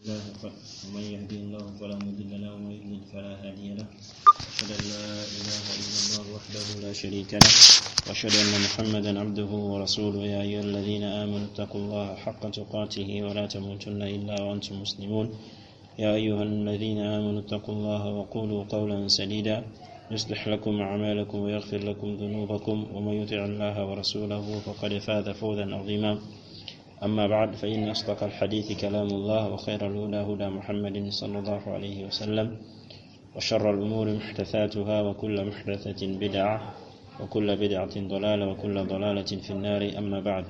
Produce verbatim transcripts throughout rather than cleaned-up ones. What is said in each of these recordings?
الله، ومن يهده الله فلا مضل له، ومن يضلل فلا هادي له. أشهد أن لا إله إلا الله وحده لا شريك له، وأشهد أن محمدا عبده ورسوله. يا أيها الذين آمنوا اتقوا الله حق تقاته ولا تموتن إلا وأنتم مسلمون. يا أيها الذين آمنوا اتقوا الله وقولوا قولا سديدا، يصلح لكم أعمالكم ويغفر لكم ذنوبكم، ومن يطع الله ورسوله فقد فاز فوزا عظيما. أما بعد، فإن أصدق الحديث كلام الله، وخير الهدى هدى محمد صلى الله عليه وسلم، وشر الأمور محدثاتها، وكل محدثة بدعة، وكل بدعة ضلالة، وكل ضلالة في النار. أما بعد.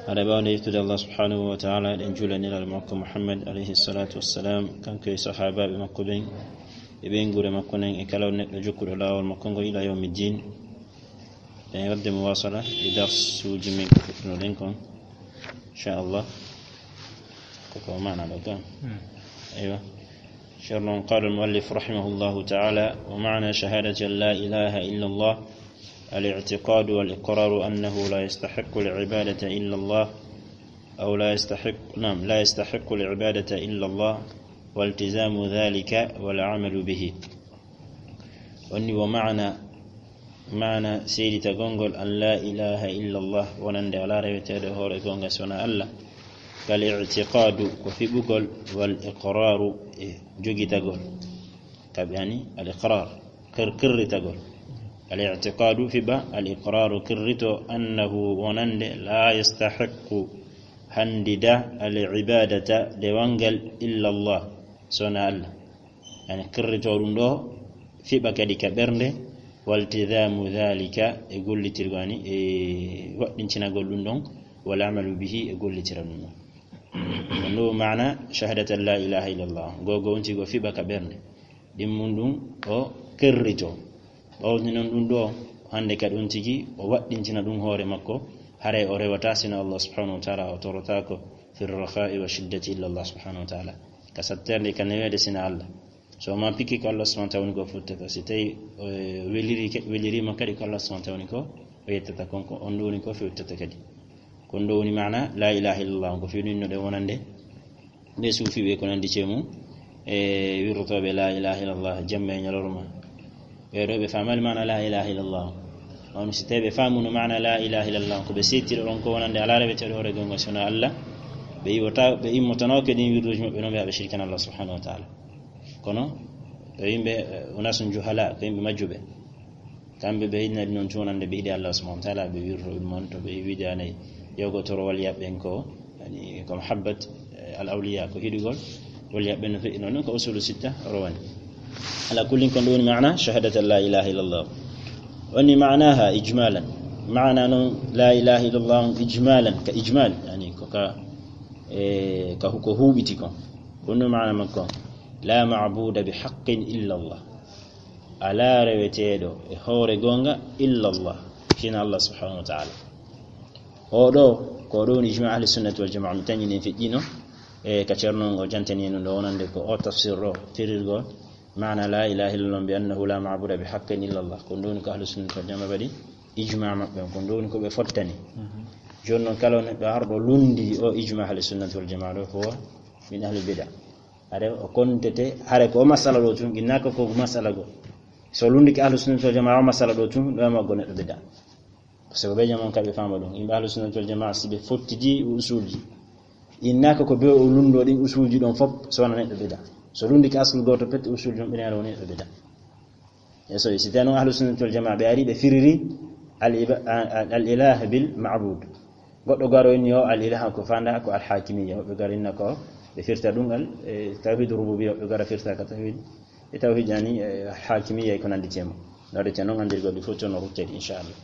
Haɗa ɓawde yettude Allah subhanahu wa ta'ala, ɗen juula e Nelaaɗo makko Muhammad alayhi salatu wassalam, kanko e sahaabaaɓe makko ɓen, e ɓeynguure makko nden, e kala neɗɗo jokkuɗo laawol makko ngo ila yawmi ddin. Ɗen wadde muwasala e darsuuji men ko fuɗɗunoɗen kon, inchallah. Koko maana ɗo kam. Hmm. Aywa. Ceerno on, قال المؤلف رحمه الله تعالى: ومعنى شهادة أن لا إله إلا الله الاعتقاد والإقرار أنه لا يستحق العبادة إلا الله، أو لا يستحق، نعم، لا يستحق العبادة إلا الله، والتزام ذلك والعمل به. Onni wo maana, maana seeditagol ngol an la ilaha illallah, wonande alaa reweteeɗo e hoore goonga si wonaa Allah. Kal i'tiqaadu, ko fiɓugol, wal iqraaru, e jogitagol. Kaɓe ani al iqraar, qir-, qirritagol. Al i'tiqaadu fiɓa, al iqraaru qirrito, annahu wonande, laa yastahiqqu, handida, al ibaadata, dewal ngal, illa Allah, so wonaa Allah. Yani qirrito ɗum ɗo, fiɓa kadi ka ɓernde, waltidaamu daalika, e gollitirgol ani, e waɗɗintinagol ɗum ɗon, wal amalu bihi, e gollitira ɗum ɗon. Ko ndu maana shahadat an la ilaha illallah. Gogo on tigi o fiɓa ka ɓernde. Ɗimmun ɗum o qirrito. Ɓawti noon ɗum ɗo, hannde kadi on tigi o waɗɗintina ɗum hoore makko, haray o rewata sina Allah subhanahu wa ta'ala, o torotaako fi rakhai wa shiddati illa Allah subhanahu wa ta'ala. Ka satterde, ka neweede sina Allah. So ma pikki ko Allah subhanahu wa ta'ala woni ko futtata. Si tawi, eh, weliri ke-, welirima kadi ko Allah subhanahu wa ta'ala woni ko o yettata kon, ko on ɗo woni ko fewtata kadi. Ko on ɗo woni maana la ilaha illallah, ko fewni no ɗe wonande ɓe suufiɓe ko nandi cee mum, e wirrotooɓe la ilaha illallah jamma e ñalorma. Ɓee ɗo ɓe faamaali maana la ilaha illallah. On si tawi ɓe faamuno maana la ilaha illallah, ko ɓe seettira ɗon ko wonande alaa reweteeɗo hoore goonga sona Allah, ɓe iwata, ɓe immotanoke ɗin wirruuji maɓɓe, non ɓe aɓe shirkana Allah subhanahu wa ta'ala. Kono ɓe yimɓe, eh, unasun juhala, ko yimɓe majjuɓe. Kamɓe ɓe yiɗnadi noon cuunande ɓe yiɗi Allah subhanahu wa ta'ala, ɓe wirro ɗum on to ɓe wiidaanay yogotorowal yaɓɓen ko, yani, ko mahabbat, eh, al awliya, ko hiɗugol wal yaɓɓen no feƴƴi noon, ko usulu sitta rowani. Ala kullin, kon ɗum woni maana shahadat an la ilaha illallah. Woni maanaha ijmalan. Maana noon la ilaha illallah on ijmalan, ka ijmal, yani, ko ka, eh, ka hu-, ko huuɓiti kon. Ko ɗum maana makko. La ma'buda bi haqqin illa Allah. Alaa reweteeɗo e hoore goonga illa Allah, sina Allah subhanahu wa ta'ala. Oo ɗo, ko ɗo woni ijma ahli sunnati wal jamaa, mi tañi nen feƴƴino, e ka Ceerno ngo jantani en ɗum ɗo wonande ko o tafsir ɗo, firirgol maana la ilaha illallah bi annahu la ma'buda bi haqqin illa Allah. Ko ɗum woni ko ahli sunnati wal jamaa waɗi ijma maɓɓe on, ko ɗum woni ko ɓe fottani. Mhm. Jooni noon, kala neɗɗo arɗo lundi o ijma ahli sunnati wal jamaa ɗo, ko min ahli bid'a. Hare o kontete, hare ko o masala ɗo tun, innaka ko masala go. So lundike ahlu sunnati wal jamaa o masala ɗo tun, ɗo ma go neɗɗo bid'a. Parce que ɓe jaman kaɓe fama ɗum. Yimɓe ahlu sunnati wal jamaa, si ɓe fottidi usulji, innaka ko be o lundo ɗin usulji ɗon fop, so wona neɗɗo bid'a. So lundike aslu goto pet usulji on, ɓe woni neɗɗo bid'a. E so, si tawno ahlu sunnati wal jamaa ɓe ari ɓe firiri al iba-, a-, a-, al ilah bil ma'bud. Goɗɗo garo inni o al ilah ko fanda ko al hakimiyya. Woɓɓe garo inna ko ɓe firta ɗum al, e, tawhid rububiyya, woɓɓe gara firta ka tawhid, e tawhid yani, e, al hakimiyya e ko nandi tema. Nodde te noon andirgol ɗi fof toon o ruttedi, inchallah.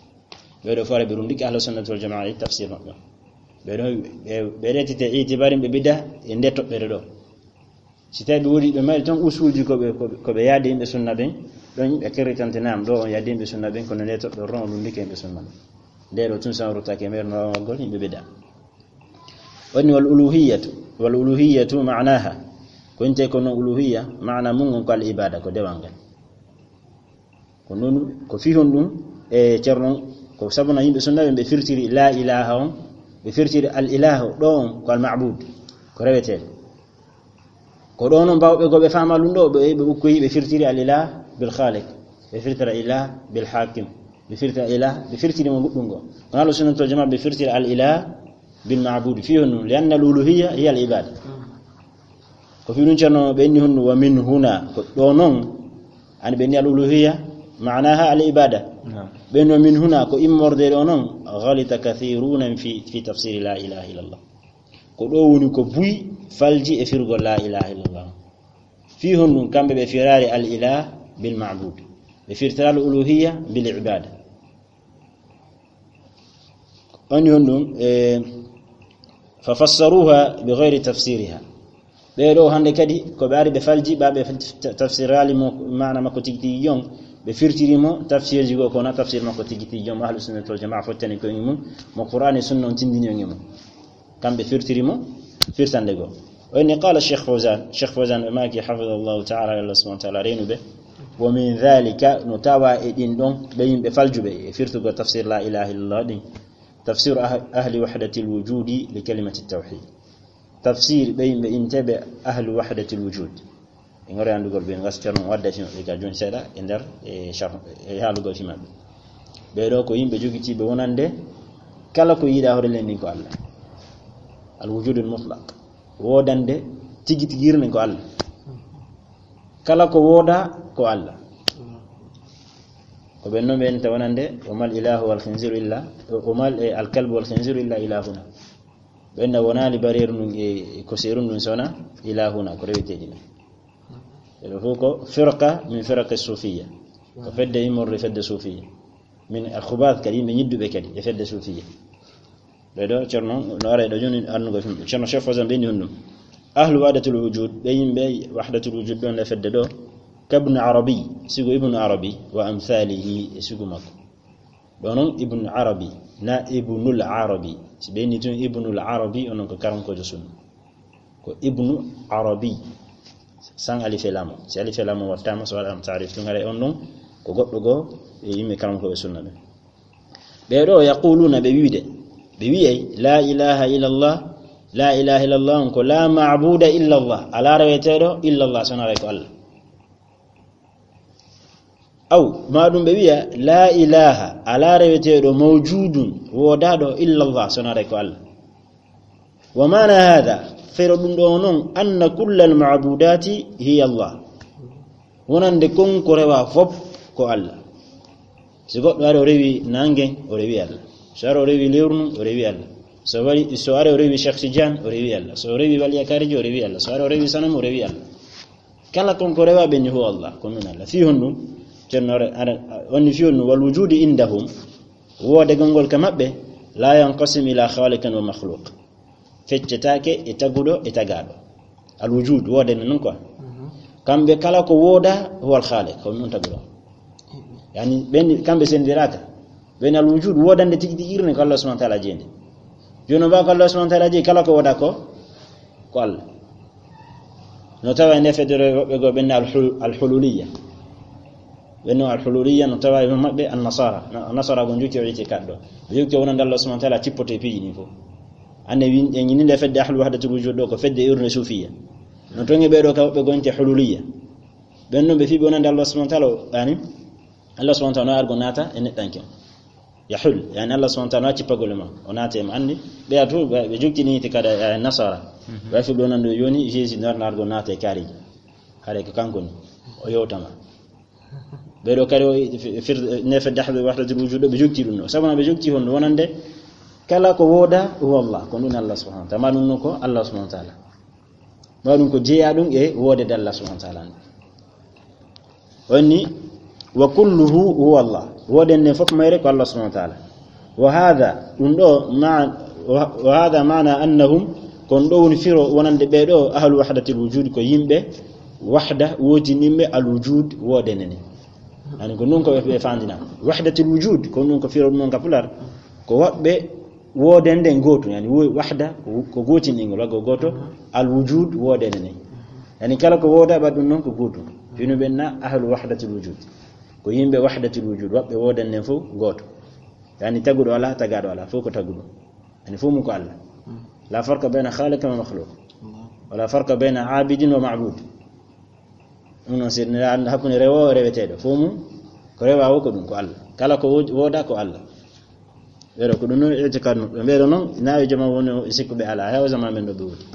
Ɓe ɗo fore ɓe rundiki ahlu sunnati wal jamaa e tafsir maɓɓe. Ɓe ɗo, ɓe, ɓe retite itibari ɓe bid'a e nde toɓɓere ɗo. Si tawi ɓe woni ɓe mari tan usulji ko ɓe, ko ɓe, ko ɓe yaadi yimɓe sunna ɓen, ɗon ɓe qirritante nam ɗo on yaadi yimɓe sunna ɓen, kono nde toɓɓere ɗon o lundike yimɓe sunna ɓen. Nde ɗo tun sa ruttake mer no waggol yimɓe bid'a. Woni wal uluhiyatu, wal uluhiyatu maanaha. Ko inte ko non uluhiyya, maana mun on ko al ibada, ko dewal ngal. Ko non, ko fihon ɗum e Ceerno, ko sabuna yimɓe sunna ɓe, ɓe firtiri la ilaha on, ɓe firtiri al ilahu ɗo on ko al ma'bud, ko reweteeɗo. Ko ɗo noon baawɓe goo ɓe faama ɗum ɗo, ɓe, ɓe ukkoyi, ɓe firtiri al-ilah bil khaliq, ɓe firtira ilah bil hakim, ɓe firtira ilah, ɓe firtiri mo goɗɗum goo. Kono ahlu sunnati wal jamaa ɓe firtira al-ilah bil ma'bud. Fii honɗum? Li anna al-uluhiyya hiya al-ibada. Ko fii ɗum ceerno ɓe inni honɗum, wa min huna, ko ɗo noon, ani ɓe inni al-uluhiyya, ma'naha al-ibada. Naam. Ɓe inni wa min huna, ko immorde ɗo noon, ghalita kathiruna fi, fi tafsiri la ilaha illallah. Ko ɗo woni ko buy falji e firgol la ilaha illallah. Fii honɗum? Kamɓe ɓe firari al ilah bil ma'bud. Ɓe firtira al uluhiyya bil ibada. Woni honɗum? E, fa fassaruha bi ghayri tafsiriha. Ɓee ɗo hannde kadi ko ɓe ari ɓe falji, ɓa ɓe ta-, tafsirali mo, maana makko tigi tigi jon, ɓe firtiri mo tafsirji goo, kono tafsir makko tigi tigi jon, ahlu sunnati wal jamaa fottani ko e mum, mo Qur'an e sunna on tindini on e mum. Kamɓe firtiri mo firtande goo. O inni, qala Cheikh Fawzan, Cheikh Fawzan ɓe maaki, hafidahullahu ta'ala, Allah subhanahu wa ta'ala reenu ɓe. Wa min dhalika, no tawa e ɗin ɗon, ɓe yimɓe faljuɓe e firtugol tafsir la ilaha illallah ɗin. Tafsiru ah-, ahli wahdatil wujudi li kalimati tawhid. Tafsir ɓe yimɓe inteɓe ahli wahdatil wujud. E ngori anndugol ɓe, ngas ceerno wadda fi maɓɓe ka jooni seeɗa e nder, e sharh, e haalugol fi maɓɓe. Ɓee ɗo ko yimɓe jogitiiɓe wonande kala ko yiɗa hoore leydi ndin ko Allah. Al wujudul mutlaq. Woodande tigi tigi hirne ko Allah. Kala ko wooda ko Allah. Ko ɓen noon ɓe enta wonande, wa mal ilahu wal khinziru illa, wa mal, e, al kalbu wal khinziru illa ilahuna. Ɓen na wonaali bareeru ndun e, e koseeru ndun sona ilahuna, ko reweteeɗi men. Ɓe ɗo fof ko firqa min firaqi sufiya. Ko fedde immorde fedde sufiya. Min al khubath kadi, yimɓe ñidduɓe kadi e fedde sufiya. Ɓee ɗo, ceerno, no ara e ɗo jooni annugol fi maɓɓe. Ceerno Cheikh Fawzan ɓe inni honɗum. Ahlu wahdatul wujud, ɓe yimɓe wahdatul wujud ɗon e fedde ɗo. Kabnu Arabi, sigo Ibnu Arabi, wa amthalihi, e sigo makko. Ɗo noon Ibnu Arabi, na Ibnul Arabi. Si ɓe inni tun Ibnul Arabi, onon ko karankoojo sunna. Ko Ibnu Arabi. San alif e laam o. Si alif e laam o wattaama, so waɗaama taarif tun, haray on ɗon ko goɗɗo goo e yimɓe karankooɓe sunna ɓen. Ɓee ɗo yaquluna, ɓe wiide, ɓe wi'ay, la ilaha illallah, la ilaha illallah on ko la ma'buda illallah, alaa reweteeɗo illallah, so wonaa ko Allah. Aw, maa ɗum ɓe wi'a, la ilaha, alaa reweteeɗo mawjudun, woodaaɗo illallah, so wonaa ko Allah. Wa maana hada, fero ɗum ɗo noon, anna kullal ma'budati hiya Allah. Wonande kon ko rewa fop ko Allah. Si goɗɗo ari o rewi nangen, o rewi Allah. So ari o rewi lewru ndun, o rewi Allah. So wari, so ari o rewi Cheikh Tidiane, o rewi Allah. So o rewi Waliya Kariji, o rewi Allah. So ari o rewi sanam, o rewi Allah. Kala kon ko rewa ɓe ni huwa Allah, ko min Allah. Fii honɗum? Ceerno ara, ara, onni fii honɗum? Wal wujudi indahum, woodegol ngol ka maɓɓe, la yanqasim ila khaliqin wa makhluq. Feccetaake e taguɗo e tagaaɗo. Al wujud, woodende non quoi. Kamɓe kala ko wooda, huwa al khaliq, ko ɗum taguɗo. Yani, ɓen, kamɓe sendiraka. Ɓen al wujud, woodande tigi tigi irne ko Allah subhanahu wa ta'ala jeyi nde. Jooni o mbaa ko Allah subhanahu wa ta'ala jeyi, kala ko wooda ko, ko Allah. No tawa e nde fedde woɓɓe goo ɓen al hul-, al hululiyya. Ɓen no al hululiyya no tawa e maɓɓe an nasara. Na-, nasara ko jokki o itikad ɗo. Ɓe jokki wonande Allah subhanahu wa ta'ala cippoto e piiji ɗin fof. Ande win-, en ñini nde fedde ahlu wahdatul wujud ɗo ko fedde irne sufiya. No toŋe ɓee ɗo ka woɓɓe goo inte hululiyya. Ɓen ɗon ɓe fii ɓe wonande Allah subhanahu wa ta'ala, yani, Allah subhanahu wa ta'ala no argo naata e neɗɗanke. Yahul, yani Allah subhanahu wa ta'ala no cippagol e ma, o naata e ma. Andi, ɓe a tu, ɓe, ɓe jokki ni te kada, eh, nasara. Ɓe fii ɓe wonande jooni, Jésus no argo naata e kaariji. Hare ko kanko ni, o yewtama. Ɓee ɗo kadi o fir-, ne fedde ahlu wahdatul wujud ɗo ɓe jokki ɗum ɗo. Sabu na ɓe jokki honɗum wonande kala ko wooda huwa Allah, ko ɗum Allah subhanahu wa ta'ala. Ma ɗum no ko Allah subhanahu wa ta'ala. Ma ɗum ko jeeya ɗum e woodede Allah subhanahu wa ta'ala. Woni, wa kulluhu huwa Allah. Woodende fof mayre ko Allah subhanahu wa ta'ala. Wa hadha, ɗum ɗo, ma-, wa, wa hadha maana annahum, kon ɗo woni firo wonande ɓee ɗo ahlu wahdatil wujud ko yimɓe wahda wootininɓe al wujud woodende ne. Ani ko non ko ɓe, ɓe fandina. Wahdatil wujud, ko non ko firo ɗum non ka pular. Ko woɓɓe woodende gooto, yani wo-, wahda ko, ko gootindingol, waggo gooto, al wujud woodende ne. Yani kala ko wooda ɓa ɗum non ko gooto. Fino ɓen na ahlu wahdatil wujud. Ko yimɓe wahdatil wujud, woɓɓe woodende fof gooto. Yani taguɗo ala, tagaɗo ala, fof ko taguɗo. Yani fof mum ko Allah. La farqa bayna khaliq wa makhluq. Wala farqa bayna abidin wa ma'bud. Ɗum noon, si neɗɗo annda hakkunde rewoowo e reweteeɗo, fof mum ko rewoowo ko ɗum, ko Allah. Kala ko wo-, wooda ko Allah. Ɓeeɗo ko ɗum noon itikad maɓɓe. Ɓeeɗo noon, naawi jama woni o sikkuɓe alaa, heewa zaman men ɗo ɓe woni.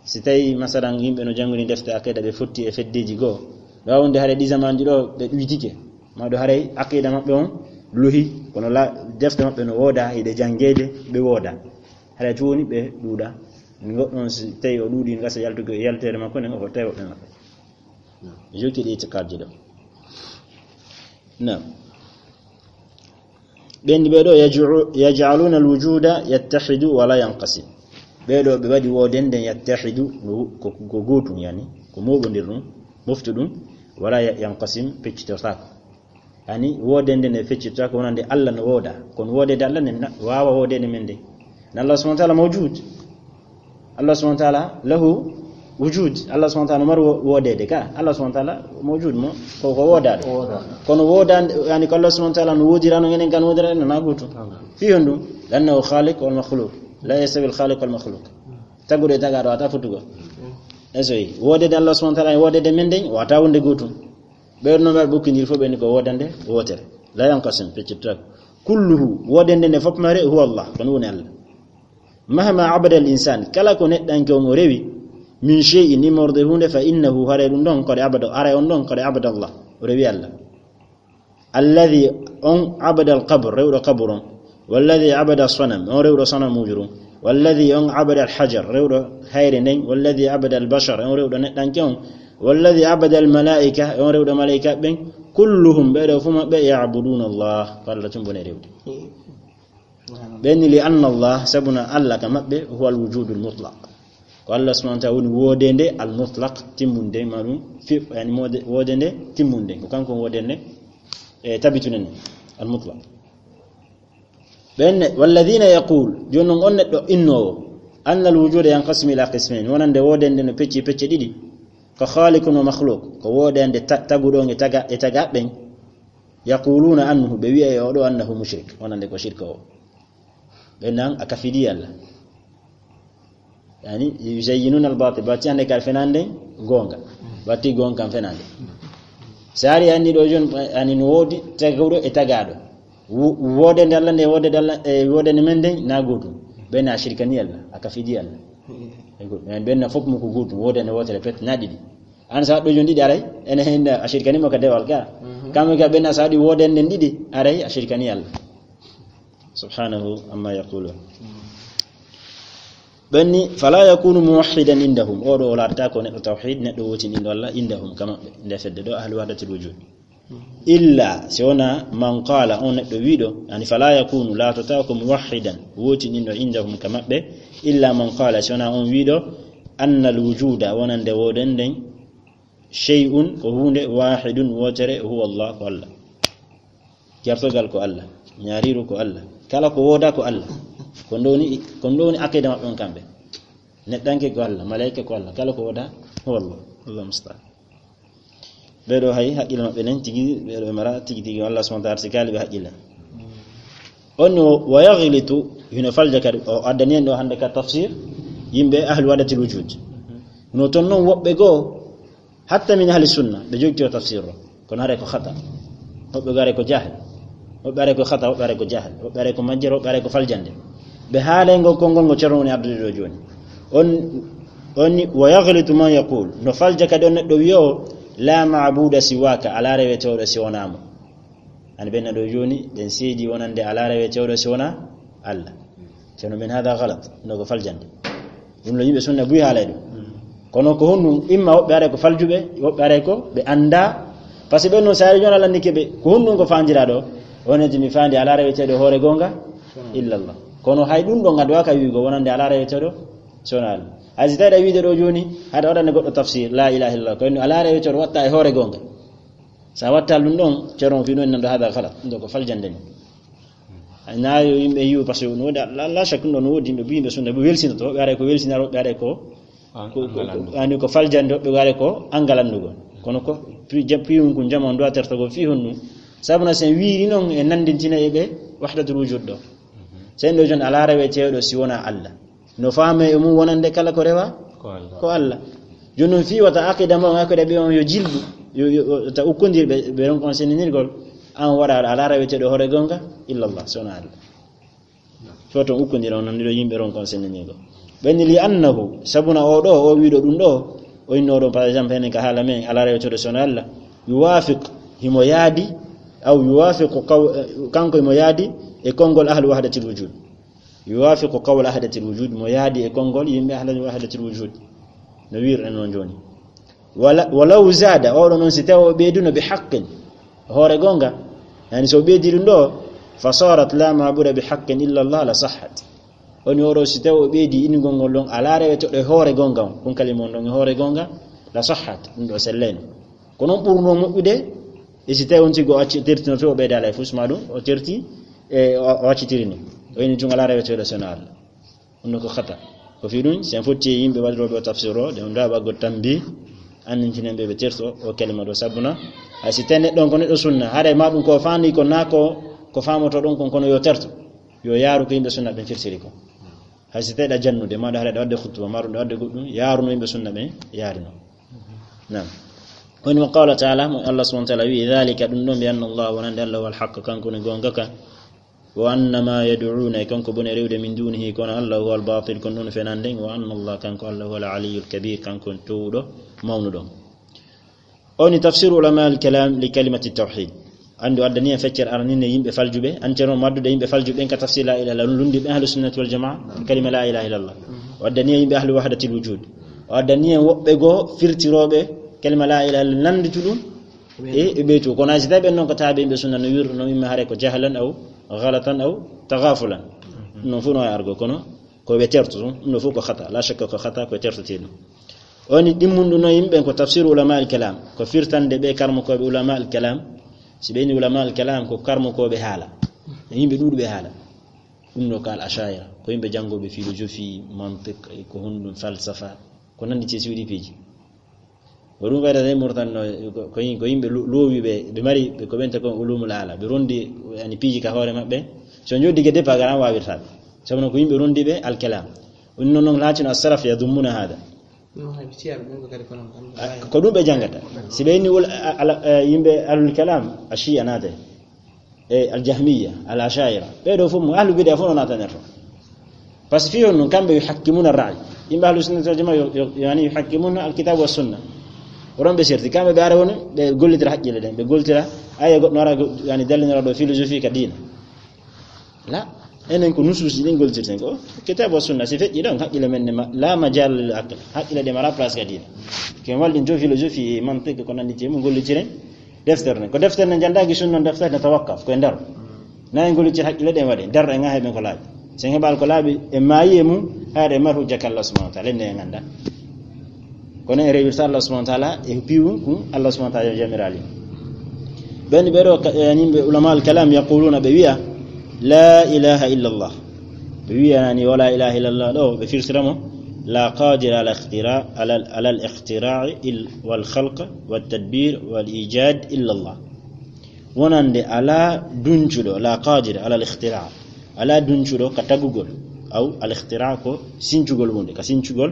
Si tawi, masalan, yimɓe no janngori defte aqida, ɓe fotti e feddeji goo, ɗo wonde haɗa ɗi zamanuji ɗo, ɓe ɗuytike. Ma ɗo haray aqida maɓɓe on lohi, kono la, defte maɓɓe no wooda, hiɗe janngeede, ɓe wooda. Haray tun woni ɓe ɗuuɗa. Goɗɗo on, si tawi o ɗuuɗi, gasa yaltugo e yalteede makko nden, o fottay woɓɓe maɓɓe. Ɓe jokki ɗi itikadji ɗo. Naam. Ɓen ɓeeɗo, yaj'u-, yaj'aluna al-wujuda yattahidu wa la yanqasim. Ɓeeɗo ɓe waɗi woodende yattahidu, no, ko, ko gootum, yani, ko mooɓondir ɗum, moftu ɗum, wala ya-, yanqasim, peccitortaako. Yani, woodende nde feccitotaako wonande Allah no wooda. Kono woodede Allah nden na waawa woodede men nde. Na Allah subhanahu wa ta'ala mawjud. Allah subhanahu wa ta'ala lahu wujud. Allah subhanahu wa ta'ala no mari wo-, woodede ka. Allah subhanahu wa ta'ala mawjud mo, ko, ko woodaaɗo. Woodaaɗo. Kono woodande, yani, ko Allah subhanahu wa ta'ala no woodira no enen kan woodira, no na gootum. Amin. Fii honɗum? Li'annahu khaliq wal makhluq. La yastawi al khaliq wal makhluq. Taguɗo e tagaaɗo wata fottugol. Esoyi. Woodede Allah subhanahu wa ta'ala, woodede men nden, wata wonde gootum. Ɓe no mbaɗa ɓokkindiri fof, ɓe ni ko woodande wootere. La yanqasim, feccitotaako. Kulluhu, woodende nde fof mare, huwa Allah, ko ɗum woni Allah. Mahma abada al insan, kala ko neɗɗanke on o rewi, min shay'in, immorde huunde, fa innahu, haray ɗum ɗon, qad abada, haray on ɗon, qad abada Allah, o rewi Allah. Alladhi, on abada al qabr, rewɗo qabur on. Walladhi abada sanam, on rewɗo sanamuujo ɗum. Walladhi, on abada al hajar, rewɗo hayre nden. Walladhi abada al bashar, on rewɗo neɗɗanke on. Walladhi abada al malaika, on rewɗo malaika ɓen. Kulluhum, ɓeeɗo fuu maɓɓe, ya'buduna Allah, ko Allah tun bone rewde. Ɓen ni, li anna Allah, sabuna Allah ka maɓɓe, huwa al wujudul mutlaq. Ko Allah subhanahu wa ta'ala woni woodende al mutlaq, timmunde, ma ɗum fi-, yani moode-, woodende timmunde. Ko kanko woni woodende, e, tabitunde nde, al mutlaq. Ɓen ne, walladhina yaqul, jooni non on neɗɗo innoowo, anna al wujuda yanqasimu ila qismayn, wonande woodende no pecci pecce ɗiɗi, ko khaliqun wa makhluq, ko woodende ta-, taguɗo on e taga-, e tagaaɓe ɓen, yaquluna anhu, ɓe wi'a e oɗo annahu mushrik, wonande ko shirka o. Ɓen nan a kafidi Allah. Yani, yuzayyinuna al-batil, bati hande kar fenande gonga. Bati gonga kan fenande. Sari yani ɗo jon, yani no woodi taguɗo e tagaaɗo. Wo-, woodende Allah nde, woodende Allah, e woodende men nden na gootum. Ɓen a shirkani Allah, a kafidi Allah. E go-, yani ɓen na fof mo ko gootum, woodende wootere pet na ɗiɗi. An sa ɗo jon ɗiɗi aray, ene hen a shirkani mo ka dewal ka. Mhm. Kamɓe ka ɓen na sa ɗi woodende ɗiɗi aray, a shirkani Allah. Subhanahu amma yaqulun. Ɓen ni, fala yakunu muwahhidan indahum. Oɗo o laatata ko neɗɗo tawhid, neɗɗo wootinɗinɗo Allah, indahum, ka maɓɓe. Nde fedde ɗo, ahlu wahdatil wujud. Illa, si wona man qala, on neɗɗo wiiɗo, yani fala yakunu, laatata ko muwahhidan, wootinɗinɗo indahum ka maɓɓe, illa man qala, si wona on wiiɗo, anna al wujuda, wonande woodenden, shay'un, ko huunde, wahidun, wootere, huwa Allah, ko Allah. Jartogal ko Allah, ñaariiru ko Allah, kala ko wooda ko Allah. Ko ɗum woni, ko ɗum woni aqida maɓɓe on kamɓe. Neɗɗanke ko Allah, malaika ko Allah, kala ko wooda ko Allah. Allah musta'an. Ɓeeɗo hay haqqille maɓɓe nen tigi, ɓeeɗo ɓe mara tigi tigi Allah subhanahu wa ta'ala si kaali ɓe haqqille. On ni o, wa yaghlitu, hino falja kadi, o addani en ɗo hande ka tafsir, yimɓe ahlu wahdatil wujud. No ton non woɓɓe goo, hatta min ahli sunna, ɓe jogiti o tafsir o. Kono haray ko khata. Woɓɓe goo haray ko jahil. Woɓɓe haray ko khata, woɓɓe haray ko jahil. Woɓɓe haray ko majjere, woɓɓe haray ko faljande. Ɓe haalay ngol konngol ngo Ceerno woni addude ɗo jooni. On, on ni, wa yaghlitu man yaqul. No falja kadi on neɗɗo wi'oowo, la ma'buda siwaka, alaa rewetooɗo si wonaa mo. Ani ɓen na ɗo jooni, ɓen seedi wonande alaa rewetooɗo si wonaa Allah. Ceerno men hada galat, no ko faljande. Ɗum no yimɓe sunna buy haalay ɗum. Kono ko honɗum, imma woɓɓe aray ko faljuɓe, woɓɓe aray ko ɓe annda. Par ce que ɓen non saari jooni Allah nike ɓe, ko honɗum ko faandira ɗo? Wonande mi faandi alaa reweteeɗo hoore goonga, illallah. Kono hay ɗum ɗo ngaddowa ka wiigo wonande alaa reweteeɗo, si wonaa Allah. Hay si tawi ɗa wiide ɗo jooni, haɗa waɗande goɗɗo tafsir, la ilaha illallah, ko en alaa reweteeɗo watta e hoore goonga. Sa watta ɗum ɗon, Ceerno fii ɗum en nan ɗo hada galat, ɗum ɗo ko faljande ni. Ay, na yo yimɓe yiwu, par ce que no woodi, la, la shak, ɗum ɗo no woodi yimɓe, yimɓe sunna, ɓe welsinoto, woɓɓe aray ko welsinar, woɓɓe aray ko, ko, ko, ko, ani ko faljande, woɓɓe aray ko angal anndugo. Kono ko, pi-, ja-, piyun kun jama on ɗo a tertogo fii honɗum. Sabu na sen wiiri non e nandintina e ɓe wahdatul wujud ɗo. Sen ɗo jon alaa reweteeɗo si wonaa Allah. No faame e mum wonande kala ko rewa, Ko Allah. Jooni noon fii wata aqida ma on, aqida ɓe on yo jilbu, yo, yo, yo, ta ukkondir ɓe, ɓe ron kon senninirgol, an waɗa aɗa ala reweteeɗo hoore gonga, illallah, so wona Allah. Fo ton ukkondir on, non ɗiɗo yimɓe ron kon senninirgol. Ɓen li annahu, sabuna o ɗo, o wiɗo ɗum ɗo, o inno ɗon, par exemple, henen ka haala men, ala reweteeɗo so wona Allah, yuwafiq, himo yaadi, aw yuwafiqu qaw-, kanko himo yaadi e konngol ahlu wahdatil wujud. Yuwafiqu qawla ahdatil wujud, mo yaadi e konngol yimɓe ahla wahdatil wujud. No wiirɗen noon jooni. Wala-, walaw zada, oɗo noon si tawi o ɓeyduno bi haqqin, hoore gonga, yani so o ɓeydi ɗum ɗo, fa sarat la mabuda bi haqqin illa Allah la sahhat. Woni oɗo si tawi o ɓeydi innugol ngol ɗon, ala reweteeɗo e hoore gonga on, kun kalima on ɗon e hoore gonga, la sahhat, ɗum ɗo sellayno. Ko noon ɓurno moƴƴude, e si tawi on tigi o acci, tertino to o ɓeydaali e fus ma ɗum, o terti, e o, o accitiri ni. O ini tun ala reweteeɗo so wona Allah. Ɗum ɗo ko khata. Ko fii ɗum, si en fotti e yimɓe waɗirooɓe o tafsir o, ɗe on daaɓa go tambi, annintinen ɓe ɓe terto o kalima ɗo sabbuna. Hay si tawi neɗɗo on ko neɗɗo sunna, haray ma ɗum ko faandi ko naa ko, ko faamoto ɗon kon kono yo terto. Yo yaaru ko yimɓe sunna ɓen firtiri ko. Hay si tawi ɗa jannude, ma ɗa haray ɗa waɗde khutba, ma ɗum ɗa waɗde goɗɗum, yaaruno yimɓe sunna ɓen, yaarino. Naam. Woni mo qawla taala, mo Allah subhanahu wa taala wi, dhalika, ɗum ɗon, bi anna Allah, wonande Allah, huwa al-haqq, kanko woni goonga ka, wa anna ma yad'una, e kanko bone rewde, min dunihi, kono Allah, huwa al-batil, kono ɗum fenande, wa anna Allah, kanko Allah, huwa al-aliyyul kabir, kanko woni towɗo, mawnuɗo. O woni tafsiru ulama al-kalam li kalimati tawhid. Anndi o addani en feccere araninde yimɓe faljuɓe, an ceerno maddude yimɓe faljuɓe ɓen ka tafsir la ilaha illallah, lundi ɓen ahlu sunnati wal jamaa, kalima la ilaha illallah. O addani en yimɓe ahlu wahdatil wujud. O addani en woɓɓe goo firtirooɓe kalima la ilaha illallah, nanndi to ɗum e, e ɓeytu. Kono hay si tawi ɓen noon ko taaɓe yimɓe sunna no wirru, no imma hare ko jahlan aw ghalatan aw taghafulan. Ɗum noon fof no waawi argo, kono ko ɓe terto ɗum, ɗum ɗo fof ko khata. La shakka ko khata, ko tertoteeɗo. O woni ɗimmunɗo no yimɓe ko tafsir ulama al kalam, ko firtande ɓe karmokooɓe ulama al kalam. Si ɓe ni ulama al kalam ko karmokooɓe haala, e yimɓe ɗuuɗuɓe haala. Ɗum ɗo ko al ashaira, ko yimɓe janngooɓe philosophie, mantiq, e ko honɗum falsafa, ko nanndi ceesi waɗi piiji. Ko ɗum waɗata e Mauritanie no, ko, ko yim-, ko yimɓe lo-, loowi ɓe, ɓe mari, ɓe ko ɓen te ko ulumul ala, ɓe rondi, yani, piiji ka hoore maɓɓe. So joddi ge départ, gara waawirta ɓe. Sabu no ko yimɓe rondi ɓe al kalam. Ɗum noon, noon laatino as-salaf yadummuna hada. Ɗum hay ɓe ciyaɓe ɓen ko kadi kono, ah, ko ɗum ɓe janngata. Si ɓe inni wol-, a-, ala, eh, yimɓe ahlul kalam, a shia naate. E al jahmiya, al ashaira. Ɓee ɗo fof mo ahlu bid'a fof no naatanerto. Parce que fii honɗum, kamɓe yuhakkimuna ar-ra'y. Yimɓe ahlu sunnati wal jamaa yo, yo, yani yuhakkimuna al kitab wa sunna. Oɗon ɓe serti, kamɓe ɓe ara woni, ɓe gollitira haqqille ɗen, ɓe gollitira, aya goɗɗo ara go-, yani dallinora ɗo philosophie ka diina. La, enen ko nusuusi ɗin gollitirten ko kitab wa sunna, si feƴƴi ɗon, haqqille men ne ma-, la majal lil aql, haqqille ɗe mara place ka diina. Ken walɗin to philosophie e mantiq ko nanndi te mum gollitiren, deftere nden. Ko deftere nden janndaaki sunna, deftere nden tawakkaf, ko e nder. Na en gollitir haqqille ɗen waɗe, nder en ŋahe ɓen ko laaɓi. Sen heɓal ko laaɓi, e maayi e mum, haɗa e mar hujja ka Allah subhanahu wa ta'ala, enne en annda. Kono en rewirta Allah subhanahu wa ta'ala, e piwu kun Allah subhanahu wa ta'ala jamiraali. Ɓen ɓe ɗo ka-, e yimɓe ulama al kalam yaquluna, ɓe wi'a, la ilaha illa Allah. Ɓe wi'ani wala ilaha illa Allah ɗo, ɓe firtira mo, la qadira ala ikhtira-, ala, ala al ikhtira'i il-, wal khalq wat tadbir wal ijad illa Allah. Wonande alaa duncuɗo, la qadira ala al ikhtira', alaa duncuɗo ka tagugol, aw al ikhtira' ko sincugol huunde, ka sincugol,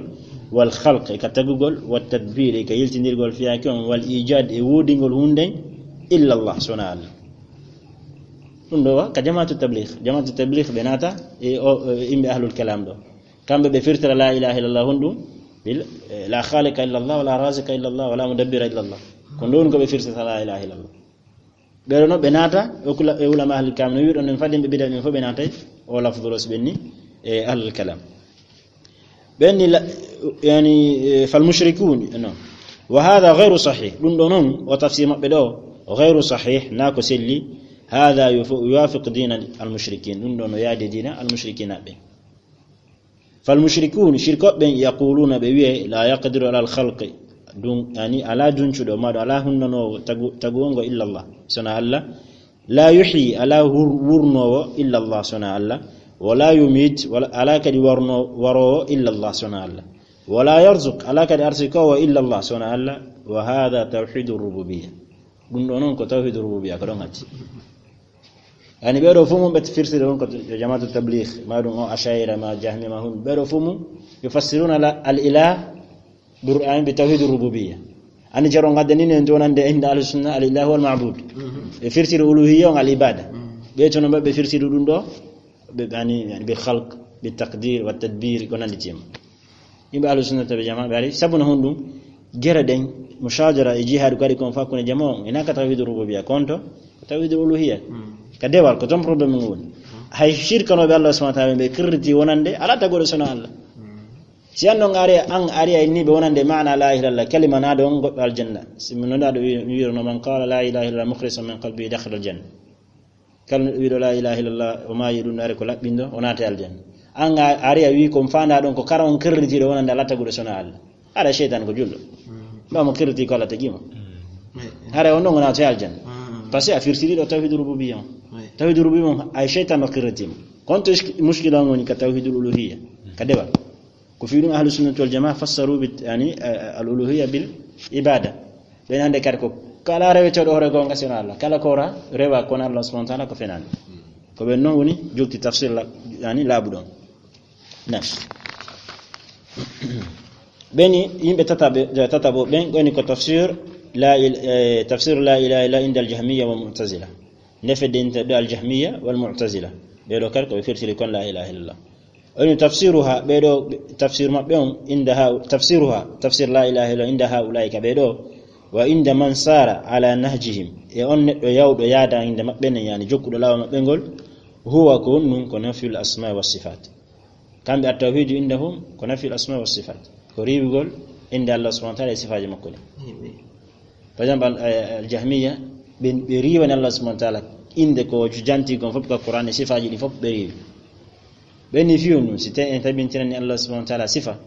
wal khalq e ka tagugol, wat tadbir e ka yiltindirgol fiyaake on, wal ijad e woodingol huunde, illa Allah, so wonaa Allah. Ɗum ɗo wa ka jamaatu tabligh, jamaatu tabligh ɓe naata e o, e yimɓe ahlul kalam ɗo. Kamɓe ɓe firtira la ilaha illallah honɗum? Bil, eh, la khaliqa illa Allah, wala raziqa illa Allah, wala mudabbira illa Allah. Ko ɗum ko ɓe firtata la ilaha illallah. Ɓe ɗo no ɓe naata, o kula, e ulama ahlul kalam no wi'uɗon en fadde ɓe bida ɓen fof ɓe naatay o lafdu ros ɓenni e ahlul kalam. Ɓenni la, yani, eh, fal mushrikun, non. Wa hadha ghayru sahih. Ɗum ɗo noon, o tafsir maɓɓe ɗo, ghayru sahih, na ko selli. Hadha yufu-, yuwafiq dina al mushrikin. Ɗum ɗo no yaadi dina al mushrikin ɓe. Fal mushrikun, shirkoɓe ɓen, yaquluna, ɓe wi'e, la yaqdiru ala al khalqi, ɗum, yani, alaa duncuɗo, maɗo alaa hunnanoowo tagu-, taguwongo illa Allah, sona Allah. La yuhyi, alaa wur-, wurnoowo illa Allah, sona Allah. Wala yumit, wala, alaa kadi warno-, waroowo illa Allah, sona Allah. Wala yarzuq, alaa kadi arsikoowo illa Allah, sona Allah. Wa hadha tawhidu rububiyya. Ɗum ɗo noon ko tawhidu rububiyya, ko ɗon hatti. Yani ɓee ɗo fof mum ɓe firtiri ɗum ko jamaatu tabligh, ma ɗum o ashaira, ma jahmi, ma hum. Ɓee ɗo fof mum yufassiruna la, al ilah Qur'an bi tawhid rububiyya. Ani jaro ngadde ni en donande inda ahli sunna al ilahu wal ma'bud. Ɓe firtiri uluhiyya on al ibada. Ɓe tono ɓe firtiri ɗum ɗo. Ɓe yani, yani bil khalq, bil taqdir, wat tadbir, ko nandi tim. Yimɓe ahlu sunna wal jamaa ɓe ari. Sabu no honɗum? Gere ɗen, mushajara e jihad ko ari kon fa hakkunde jamaa on. Ina ka tawhid rububiyya, konto, ko tawhid uluhiyya. Ka dewal, ko ton problème ngon woni. Hay shirkanoɓe Allah subhanahu wa ta'ala ɓe kirriti wonande, ala tagoɗo sona Allah. Si an non ari, an ari ay ni ɓe wonande maana la ilaha illallah, kalima na ɗon goɗɗo aljanna. Si mi nonda ɗo wi-, mi wi'ono man qala la ilaha illallah mukhlisan min qalbi dakhala aljanna. Kala neɗɗo wiɗo la ilaha illallah, o maayi ɗum, ari ko laɓɓindo, o naati aljanna. An a ari a wi ko fanda ɗon ko kara on kirritiɗo wonande Allah taguɗo sona Allah. Ara shaytan ko julɗo. Ba mo kirriti ko Allah tagi mo. Ara on ɗon o naati aljanna. Parce que a firtiri ɗo tawhid rububiyya. Tawhid rububiyya ay shaytan o kirriti mo. Konto isk-, mushkila on woni ka tawhidul uluhiyya. Ka dewal. Ko fi ɗum ahlu sunnati wal jamaa fassaru bit, yani, eh, al uluhiyya bil ibada. Ɓen hande kadi ko kala reweteeɗo hoore goonga sino Allah. Kala ko ora rewa kono Allah subhanahu wa ta'ala ko fenaani. Ko ɓen non woni jokti tafsir la, yani laaɓuɗo on. Na. Ɓeni yimɓe tataɓe, tataɓo ɓen woni ko tafsir la il-, eh, tafsir la ilaha illa inda al jahmiya wal mu'tazila. Nde fedde inta ɗo al jahmiya wal mu'tazila. Ɓe ɗo kadi ko ɓe firtiri kon la ilaha illallah. Woni tafsiruha, ɓe ɗo tafsir maɓɓe on, inda ha, tafsiruha, tafsir la ilaha illa inda ha ulaika ɓe ɗo, wa inda man sara ala nahjihim, e on neɗɗo yawɗo yaada inda maɓɓe nen, yani jokkuɗo laawa maɓɓe ngol, huwa ko on nun ko nafyul asma wa sifat. Kamɓe at tawhidu indahum ko nafyul asma wa sifat. Ko riiwugol inde Allah subhanahu wa ta'ala e sifaaji makko ɗin. Par exemple, al, eh, al jahmiya, ɓe, ɓe riiwani Allah subhanahu wa ta'ala inde ko janti kon fof ka Qur'an e sifaaji ɗin fof ɓe riiwi. Ɓen ni fiyo nun, si te en tabintinani Allah subhanahu wa ta'ala sifa,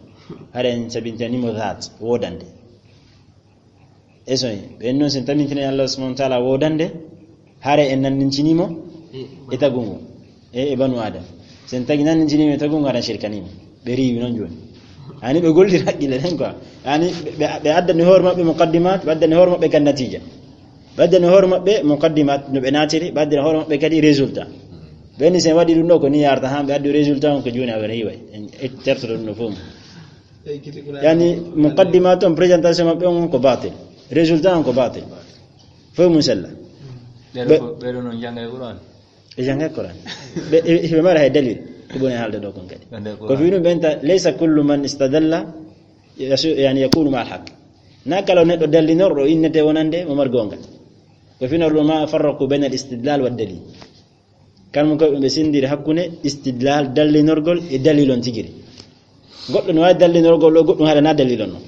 hara en tabintinani mo dhat, wodande. E so ɓen non sen tabintinani Allah subhanahu wa ta'ala wodande, hara en nannincini mo e tagungu, e, e banu Adam. Sen tagi nannincini mo e tagungu, hara en shirkani mo. Ɓe riiwi non joni. Ani ɓe golli haqqille ɗen quoi. Ani ɓe, ɓe, ɓe addani hoore maɓɓe muqaddimat, ɓe addani hoore maɓɓe kan natija. Ɓe addani hoore maɓɓe muqaddimat no ɓe naatiri, ɓe addani hoore maɓɓe kadi résultat. Ɓen ni sen waɗi ɗum ɗo ko ni yarta han ɓe addi résultat on ko joni a wona yiway. En tertoto ɗum no fof. Yani muqaddimat on, présentation maɓɓe on ko batil. Résultat on ko batil. Fof mum sella. Ɓeɗo Ɓe- ko, ɓeɗo non jangay Qur'an. E jangay Qur'an. Ɓe, e, ɓe mara hay dalil. Ko ɓuri haalde ɗo kon kadi. Ande Ko Qur'an. Fi ɗum ɓen ta, laysa kullu man istadalla yasu-, yani yakunu ma al haqq. Na kala neɗɗo dallinorɗo innete wonande mo mar gonga. Ko fino ɗum ma farraqu bayna al istidlal wa dalil. Kan mun ko ɓe sendiri hakkunde istidlal, dallinorgol e dalil on tigiri. Goɗɗo no waawi dallinorgol ɗo, goɗɗum haɗa na dalil on non.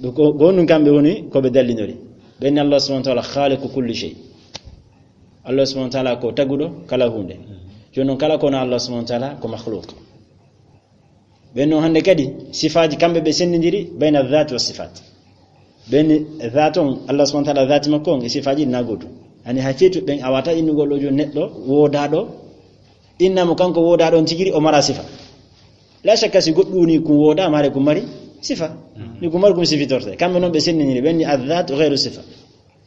Ɗum ko, ko honɗum kamɓe woni ko ɓe dallinori. Ɓen Allah subhanahu wa ta'ala khaliqu kulli shay. Allah subhanahu wa ta'ala ko taguɗo kala hunde. Jooni non kala ko na Allah subhanahu wa ta'ala ko makhluq. Ɓen non hande kadi sifaaji kamɓe ɓe sendindiri bayna dhat wa sifat. Ɓen dhat on, Allah subhanahu wa ta'ala dhati makko on e sifaaji na gotu. Ani hay fetu ɓen a wata innugol ɗo jooni neɗɗo wodaɗo, innamo kanko wodaɗo on tigiri o mara sifa. La shakka si goɗɗum woni kun woda mare kun mari sifa. Ni kun mari kun sifitorte. Kamɓe non ɓe sendindiri ɓen ni adh-dhat ghayru sifa.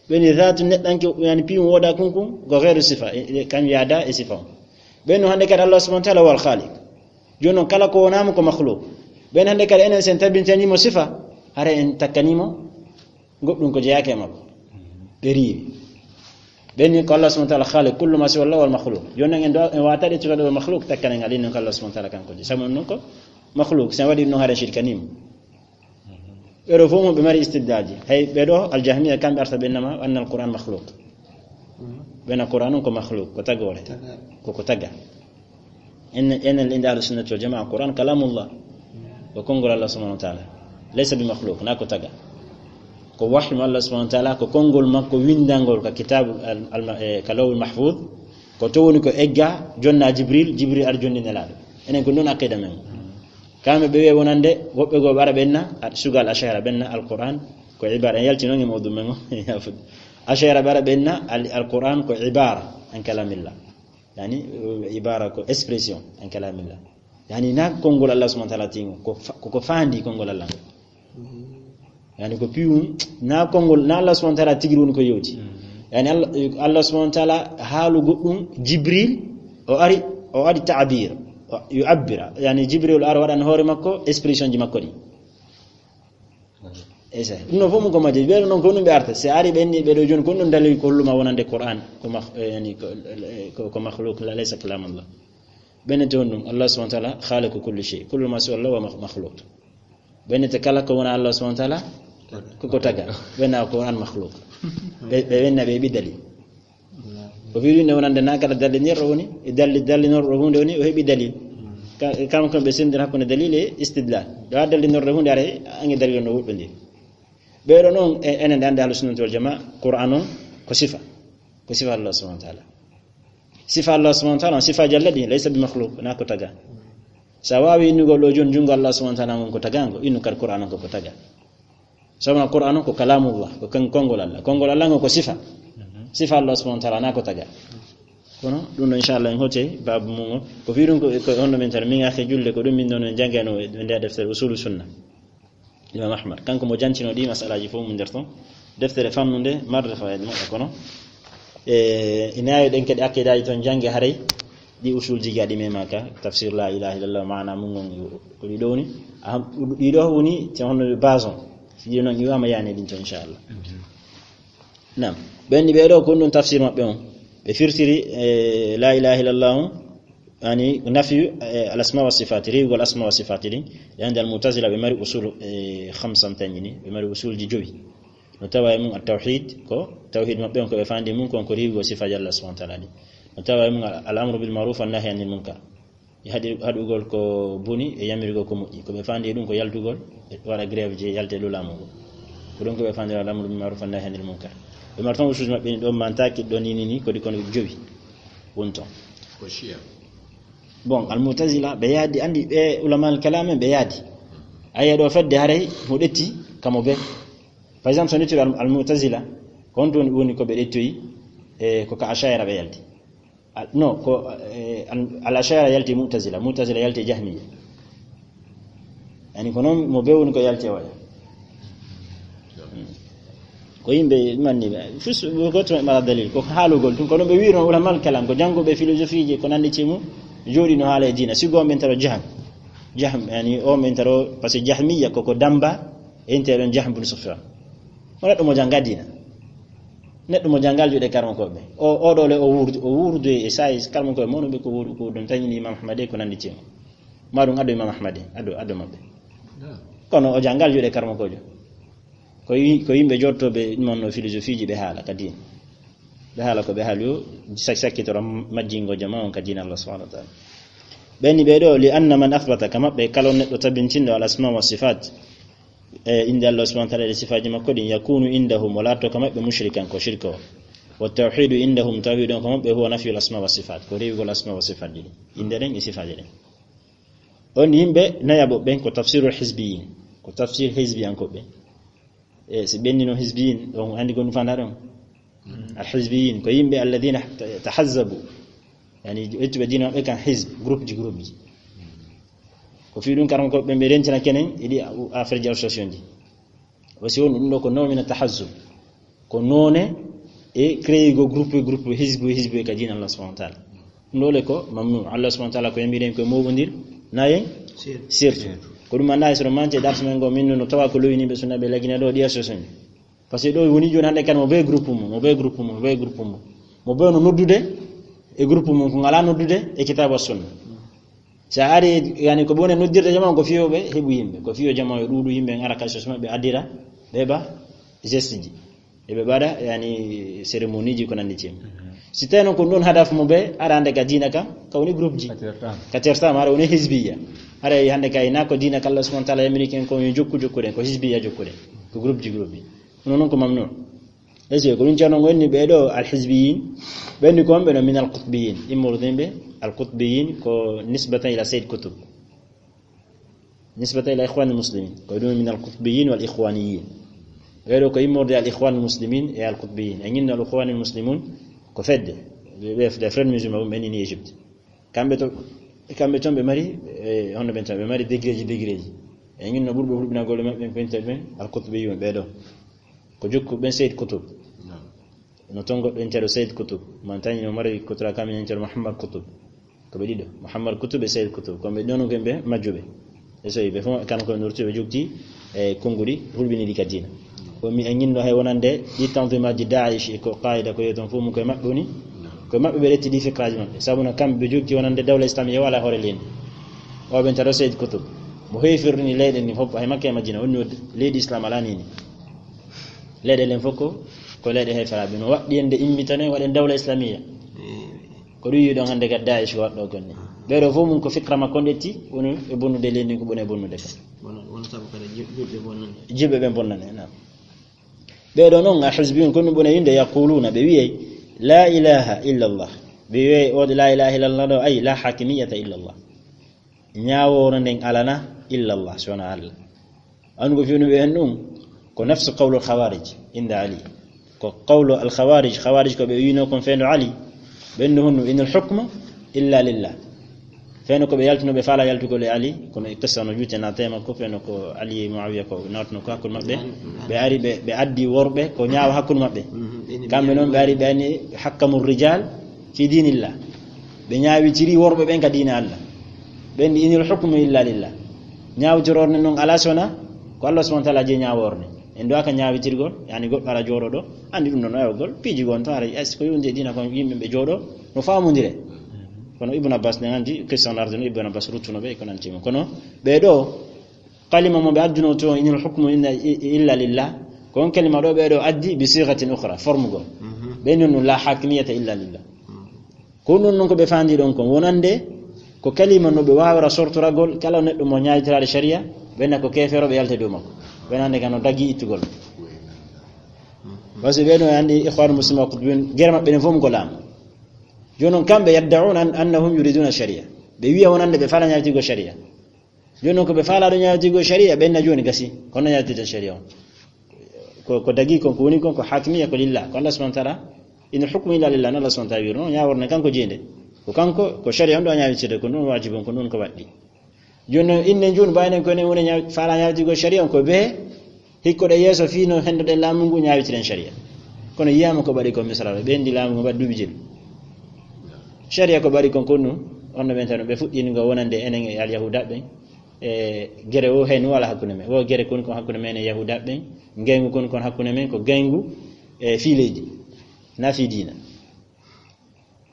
Ɓen ni dhatu neɗɗanke, yani piwum woda kun kun ko ghayru sifa. E, e, kan yaada e sifa on. Ɓen no hande kadi Allah subhanahu wa ta'ala wal khaliq. Jooni non kala ko wonamo ko makhluq. Ɓen hande kadi enen sen tabintanimo sifa, hara en takkanimo goɗɗum ko jeyaake e makko. Ɓe riiwi. Ɓen ni ko Allah subhanahu wa ta'ala khaliq kullu ma siwa Allah wal makhluq. Jooni non en do, en wata ɗe tukaɗo wal makhluq takkanen ngal, non ko Allah subhanahu wa ta'ala kanko je. Sabu non ko makhluq, sen waɗi non hara shirkanimo. Ɓe ɗo fof mo ɓe mari istidlalji. Hay ɓe ɗo aljahmiya kamɓe arta ɓe nama anna alquran makhluq. Ɓe na Qur'an on ko makhluq, ko tagoore. Ko, ko taga. En, en, en inda ahlu sunnati wal jamaa, Qur'an kalamullah. Ko konngol Allah subhanahu wa ta'ala. Laysa bi makhluq, na ko taga. Ko wahyu mo Allah subhanahu wa ta'ala, ko konngol makko windangol ka kitabu al, al, eh, ka lawhul mahfuz. Ko to woni ko egga, jonna Jibril, Jibril ar jonni Nelaaɗo. Enen ko non aqida men. Kamɓe ɓe wiya wonande, woɓɓe goo ɓe ara ɓenna, a-, sugal Ash'ara ɓenna, Alquran ko ibara, en yalti non e mawdu men o, yafude. Ash'ara ɓe ara ɓenna, al-, Alquran ko ibara, an kalamillah. Yani, uh, ibara ko expression, an kalamillah. Yani, na konngol Allah subhanahu wa ta'ala tingo, ko fa-, ko, ko fandi konngol Allah. Yani, ko piwum, na konngol, na Allah subhanahu wa ta'ala tigiri woni ko yewti. Yani, Allah, Allah subhanahu wa ta'ala haalu goɗɗum, Jibril, o ari, o ari ta'bir. Yu'abbira, yani Jibril ara waɗan hoore makko expression ji makko ɗi. Esa. Ɗum no fof mum ko majji. Ɓeɗo noon ko ɗum ɓe arta. Si ari ɓe inni ɓeɗo jooni ko ɗum dalil ko holluma wonande Qur'an ko makh-, eh, yani ko, ko, ko makhluk la laysa kalam Allah. Ɓe nete on ɗum Allah subhanahu wa ta'ala khaliqu kulli shay. Kullu ma siwa Allah wa makh-, makhluk. Ɓe nete kala ko wona Allah subhanahu wa ta'ala ko ko taga. Ɓe na Qur'an makhluk. Ɓe, ɓe wenna ɓe ɓi dalil. O fii ɗum ne wonande na kala dallinirɗo woni, e dalli-, dallinorɗo hunde woni, o heɓi dalil. Ka-, kam kon ɓe sendir hakkunde dalil e istidlal. Ɗo a dallinorɗo hunde ara ange dalil no woɗɗondi. Ɓeɗo noon e-, enen ɗe ande ahlu sunnati wal jamaa, Qur'an on ko sifa. Ko sifa Allah subhanahu wa ta'ala. Sifa Allah subhanahu wa ta'ala, sifa jalla ɗi, laysa bi makhluk, na ko taga. Sa wawi innugol ɗo jooni jungo Allah subhanahu wa ta'ala ngon ko tagango, innu kadi Qur'an on ko ko taga. Sabuna Qur'an on ko kalamullah, ko kan konngol Allah. Konngol Allah ngon ko sifa. Sifa Allah subhanahu wa ta'ala na ko taga. Kono ɗum ɗo inchallah en hote babu mum o. Ko fii ɗum ko, ko honno min tan min ake julde ko ɗum min ɗon en jangano e nde deftere usulu sunna. Imam Ahmad. Kanko mo jantino ɗi masalaji fof mum nder ton. Deftere famnunde marde fawayde moƴƴa kono. E, ina yawi ɗen kadi aqidaji ton jange haray. Ɗi usul jigaɗi memaka. Tafsir la ilaha illallah maana mum ngon ko ɗi ɗo woni. Aham, ɗi ɗo woni te honno base on. Si ɗi noon iwama yani ɗin to inchallah. Naam. Ɓen ni ɓeɗo ko ɗum tafsir maɓɓe on. Ɓe firtiri, e, la ilaha illallah on. Yani nafi, e, al asma wa sifat, riwgol asma wa sifat ɗin. Yani al mu'tazila ɓe mari usul, e, khamsan tanjini. Ɓe mari usulji jowi. No tawa e mum at tawhid, ko tawhid maɓɓe on ko ɓe fandi mum kon ko riwgol sifaji Allah subhanahu wa ta'ala ɗin. No tawa e mum al, al amru bil ma'ruf wa nahyi anil munkar. E haɗi-, haɗugol ko boni e yamirgol ko moƴƴi. Ko ɓe fandi e ɗum ko yaltugol, e waɗa grève je yalte e dow laamu ngu. Ko ɗum ko ɓe fandi al amru bil ma'ruf wa nahyi anil munkar. Ɓe mari tan usuuji maɓɓe ni ɗo mantaki ɗo ni, ni, ni, ko ɗi kono jowi. Woni ton. Ko Shia. Bon, al mu'tazila, ɓe yaadi, andi ɓe ulama al kalam en, ɓe yaadi. Ayi ɗo fedde haray mo ɗetti kamo be. Par exemple, so nettiri al, al mu'tazila, ko on ɗon woni ko ɓe ɗettoyi, e ko ka Ash'ira ɓe yalti. Al-, no, ko, e, al, al Ash'ira yalti mu'tazila, mu'tazila yalti jahmiya. Yani ko noon mo be woni ko yalti e oya. Hmm. Ko yimɓe manni ɓe. Fus, goto e mara dalil, ko haalugol tun, kono ɓe wi'no ulama al kalam, ko jannguɓe philosophie ji, ko nandi cimu, jooɗi no haala e diina. Sigo on ɓen taro Jahm. Jahm, yani on ɓen taro, parce que Jahmiya ko, ko damba, e inte ɗon Jahm bin Sufyan. O neɗɗo mo jannga diina. Neɗɗo mo janngal juuɗe karmo ko ɓe. O, o ɗo le o wuurdu, o wuurdu e sa'i karmo ko ɓe, mono ɓe ko wuurdu, ko ɗum tañini Imam Ahmad e ko nandi cimu. Ma ɗum addo Imam Ahmad e, addo, addo maɓɓe. Kono o janngal juuɗe karmo ko jo. Ko yi-, ko yimɓe jottooɓe ɗum wonno philosophie ji ɓe haala ka diina. Ɓe haala ko ɓe haali o, sak-, sakkitoro majjingo jama on ka diina Allah subhanahu wa ta'ala. Ɓen ni ɓe ɗo, li anna man athbata, ka maɓɓe kala on neɗɗo tabintinɗo al asma wa sifat, e innde Allah subhanahu wa ta'ala e sifaaji makko ɗin, yakunu indahum, o laatto ka maɓɓe mushrikan, ko shirka o. Wa tawhidu indahum, tawhid on ka maɓɓe huwa nafyul asma wa sifat, ko rewugol asma wa sifat ɗin. Innde ɗen e sifaaji ɗin. On yimɓe nayaɓo ɓen ko tafsirul hizbiyin, ko tafsir hizbiyankoɓe. E si ɓenni noon hizbiyin, on andi ko ɗum fanda ɗon. Al hizbiyin ko yimɓe alladhina ta-, tahazzabu. Yani ƴettuɓe diina maɓɓe kan hizb, groupe ji, groupe ji. Ko fii ɗum karam ko ɓe, ɓe rentina kenen, iɗi a-, affaire ji association ji. Wasi won ɗum ɗo ko nawmi na tahazzub. Ko noone e créer go groupe, groupe, hizbu, hizbu e ka diina Allah subhanahu wa ta'ala. Ɗum ɗo le ko mamnu. Allah subhanahu wa ta'ala ko yamiri en ko moɓondir, nayen? Sir. Sirtu. Ko ɗum anda e soro mance darsu men go min no tawa ko lowini ɓe sunna ɓe lagina ɗo ɗi association. Parce que ɗo woni joni hande kan mo be groupe mum, mo be groupe mum, mo be groupe mum. Mo be no noddude e groupe mum ko ngala noddude e kitabu as sunna. Sa ari, yani, ko ɓe woni noddirde jama, ko fiyo ɓe heɓu yimɓe, ko fiyo jama yo ɗuuɗu yimɓe ngara ka sos maɓɓe addira, ɓe ba geste ji. E ɓe mbaɗa, yani, cérémonie ji ko nandi cem. Si tawi noon ko ɗum hadaf mo ɓe, ara hande ka diina ka, ka woni groupe ji. Ka tertama. Ka tertama, ara woni hizbiya. Ara hande ka ina ko diina ka Allah subhanahu wa ta'ala yamiri ken ko yo jokku jokkuɗen, ko hizbiya jokkuɗen, ko groupe ji, groupe ji. Hono noon ko mamnu. Est-ce que ko ɗum ceerno ngo inni ɓee ɗo al hizbiyin? Ɓe inni ko wonɓe no min al qutbiyin. Immorde ɓe al qutbiyin ko nisbatan ila Sayyid Qutb. Nisbatan ila Ikhwan al Muslimin. Ko ɗum min al qutbiyin wal ikhwaniyin. Ɓee ɗo ko immorde al Ikhwan al Muslimin e al qutbiyin. E ñinno al Ikhwan al Muslimun ko fedde. Ɓe, ɓe, les frères musulmans, ɓe inni Égypte. Kamɓe to, kamɓe toon ɓe mari, e, honno ɓen tan, ɓe mari degré ji, degré ji. E ñin no ɓurɓe hulɓinagol e maɓɓe, ɓen ɓen, al qutbiyun ɓee ɗo. Ko jokku ɓen Sayyid Qutb. Naam. No toon goɗɗo intero Sayyid Qutb. Man tan no mari Qutb, kam intero Muhammad Qutb. Ko ɓe ɗiɗo, Muhammad Kutub e Sayyid Kutub, ko ɓe ɗon ko ɓe majjuɓe. E so ɓe fof kan ko nurtuɓe jogti e konnguɗi hulɓiniɗi ka diina. Ko mi e ñinno hay wonande ɗi tanzimaji Daesh e ko Qaida ko yeton fof mum koye maɓɓe woni. Koye maɓɓe ɓe retti ɗi fikraji maɓɓe. Sabu no kamɓe ɓe jogti wonande dawla islamiya wala hoore leydi. O ɓen taro Sayyid Kutub. Mo heefirini leyɗe ni fof hay Makka e Madina woni leydi islam ala nini. Leyɗe len fof ko, ko leyɗe heeferaaɓe. No waɗɗi en nde immitane waɗen dawla islamiya. Ko ɗum yiɗon hannde ka Daesh ko waɗɗo kon ni. Ɓeeɗo fof mum ko fikra makko on ƴetti, woni e bonnude leydi ko ɓone bonnude ka. Wona, wona sabu kadi jul-, julɓe bonnane. Julɓe ɓen bonnane, naam. Ɓeeɗo noon, a hizbiyun, ko ɗum ɓone wi'nde, yaquluna, ɓe wi'ay, "La ilaha illa Allah." Ɓe wi'ay, o la ilaha illa Allah ɗo, ay, "La hakimiyata illa Allah." Ñaawoore nden alana illa Allah, so wona Allah. An ko fewni ɓe en ɗum, ko nafsu qawlu al-khawarij inda Ali. Ko qawlu al-khawarij, khawarij ko ɓe wi'no kon fewndo Ali. Ɓen no honno, "Inal hukmu illa lillah." Fewndo ko ɓe yaltuno, ɓe faala yaltugol e Ali, kono e qissa no juute na tema ko fewndo ko Ali e Muawiya ko nawtuno ko hakkunde maɓɓe. Ɓe ari, ɓe, ɓe addi worɓe ko ñaawa hakkunde maɓɓe. Mhm. Kamɓe noon ɓe ari, ɓe ani hakkamu rijal fi dinillah. Ɓe ñaawitiri worɓe ɓen ka diina Allah. Ɓen ndi, "Inil hukmu illa lillah." Ñaawtirorde noon alaa sona ko Allah subhanahu wa taala jeyi ñaawoorde. En duwaaka ñaawitirgol, yani goɗɗo ara jooɗo ɗo, anndi ɗum ɗon ayogol, piiji gon to ara, est-ce que yonde diina kon yimɓe ɓe jooɗo, no faamondire. Kono Ibn Abbas ne anndi, qissa on arduno Ibn Abbas ruttuno ɓe, ko nanti mo. Kono ɓe ɗo, kalima mo ɓe adduno to, "Inil hukmu inna i-, illa lillah." Ko on kalima ɗo ɓe ɗo addi bi sighatin ukhra, forme gol. Mhm. Ɓe non no la hakimiyata illa lillah. Mhm. Ko non non ko ɓe fandi ɗon kon wonande ko kalima no ɓe wawra sortoragol kala neɗɗo mo ñaawitiraade sharia, ɓe na ko keefeero ɓe yalta dow makko. Ɓe nande kano dagi ittugol. Parce que ɓe ɗon andi ikhwan muslimin ko ɓen gere maɓɓe ɗen fof ko laamu. Jooni non kamɓe yaddauna an-, annahum yuriduna sharia. Ɓe wiya wonande ɓe fala ñaawitigo sharia. Jooni non ko ɓe faalaaɗo ñaawitigo sharia, ɓen na jooni gasi. Kono ñaawtirten sharia on. Ko, ko dagi kon, ko woni kon, ko hakimiya, ko lillah. Ko Allah subhanahu wa taala, "Inil hukmu illa lillah", no Allah subhanahu wa taala wi'irno, ñaaworne kanko jeynde. Ko kanko, ko sharia on ɗo ñaawitirde, ko ɗum wajibu on, ko ɗum ko waɗɗi. Jooni non, innen jooni, mbaynen ko enen woni ñaaw-, faalaa ñaawitigo sharia on, ko ɓe hikkoɗe yeeso fii no hendoɗen laamu ngu ñaawitiren sharia. Kono yiyaama ko ɓaɗi kon Misra ɗo, ɓe hendi laamu ngu mbaɗi duuɓi jeɗɗi. Sharia ko ɓaɗi kon, ko ɗum, on no ɓen tan, ɓe fuɗɗini ngo wonande enen e Alyahuuda ɓen. E gere o heen wala hakkunde men. Wo gere kon kon hakkunde men e Yahuuda ɓen. Ngeyngu kon kon hakkunde men ko ngeyngu e fii leydi. Na fii diina.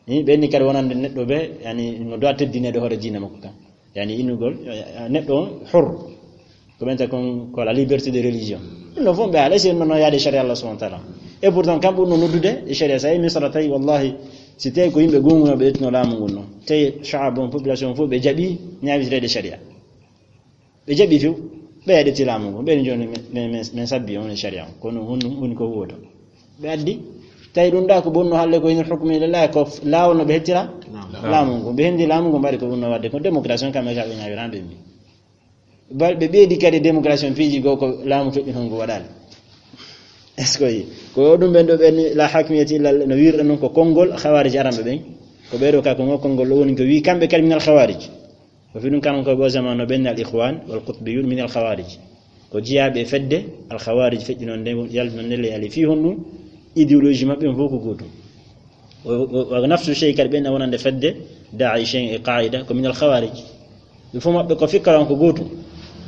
Ni ɓen ni kadi wonande neɗɗo ɓe, yani, no doit teddineede hoore diina makko kan. Yani, innugol, eh, neɗɗo on hor. Ko ɓen ta kon ko la liberté de religion. Ɗum ɗo fof ɓe haala, si en no yaade sharia Allah subhanahu wa taala. Et pourtant, kamɓe ɗum no noddude e sharia. Sa yi Misra tawi, wallahi, si tawi ko yimɓe gonguno ɓe ƴettuno laamu ngun non. Tawi sha'ab on, population fof ɓe jaɓi ñaawitireede sharia. Ɓe jaɓi few, ɓe yaɗiti laamu ngu, ɓen jooni men, men, men, men sabbi on e sharia on, kono on, on, on ko huwoto. Ɓe addi, tawi ɗum ɗa ko bonno halle ko inal hukmu ila Allah, ko f-, laawol no ɓe hettira Naam. laamu ngu. Ɓe hendi laamu ngu mbaɗi ko ɗum no waɗde, ko démocratie on kamɓe ka ɓe ñaawirano ɓe mbi. Bal ɓe ɓeydi kadi démocratie on piiji goo ko laamu feƴƴuno ngu waɗaali. Est-ce que yi? Ko ɗum ɓen ɗo ɓen la hakmiyati illa Allah, no wirɗa noon ko konngol khawarij aranɓe ɓen. Ko ɓeɗo ka ko ngo konngol ɗo woni ko wi kamɓe kadi minal khawarij. Ko fi ɗum kanon koye ɓo zaman no ɓen al ikhwan wal qutbiyun min al khawarij. Ko jiyaaɓe fedde al khawarij feƴƴuno nde, yaltuno nde ley Ali. Fii honɗum? Idéologie maɓɓe on fof ko gootum. O, o, o nafsu sey kadi ɓen na wonande fedde Daesh en e Qaida ko min al khawarij. Ɓe fof maɓɓe ko fikra on ko gootum.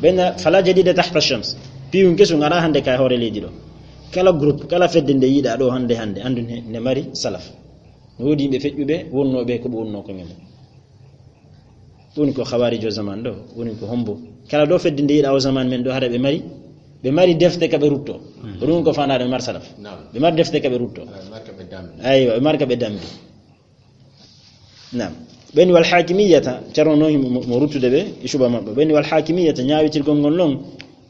Ɓen na fala jadida tahta shams. Piiwun kesun ara hannde ka hoore leydi ɗo. Kala groupe, kala fedde nde yiɗa ɗo hannde, hannde, andu ne, ne mari salaf. No woodi yimɓe feƴƴuɓe wonnooɓe ko ɓe wonnoo ko men. Woni ko khawarij o zaman ɗo, woni ko hombo. Kala ɗo fedde nde yiɗa o zaman men ɗo, hara ɓe mari, ɓe mari defte ka ɓe rutto. Mhm. Ko ɗum ko fanaade ɓe mari salaf. Naam. Ɓe mari defte ka ɓe rutto. Ah, ɓe mari ka ɓe dambi. Aywa, ɓe mari ka ɓe dambi. Naam. Ɓen wal hakimiyata, Ceerno no mo, mo ruttude ɓe, e suba maɓɓe. Ɓen wal hakimiyata, ñaawitirgol ngol non,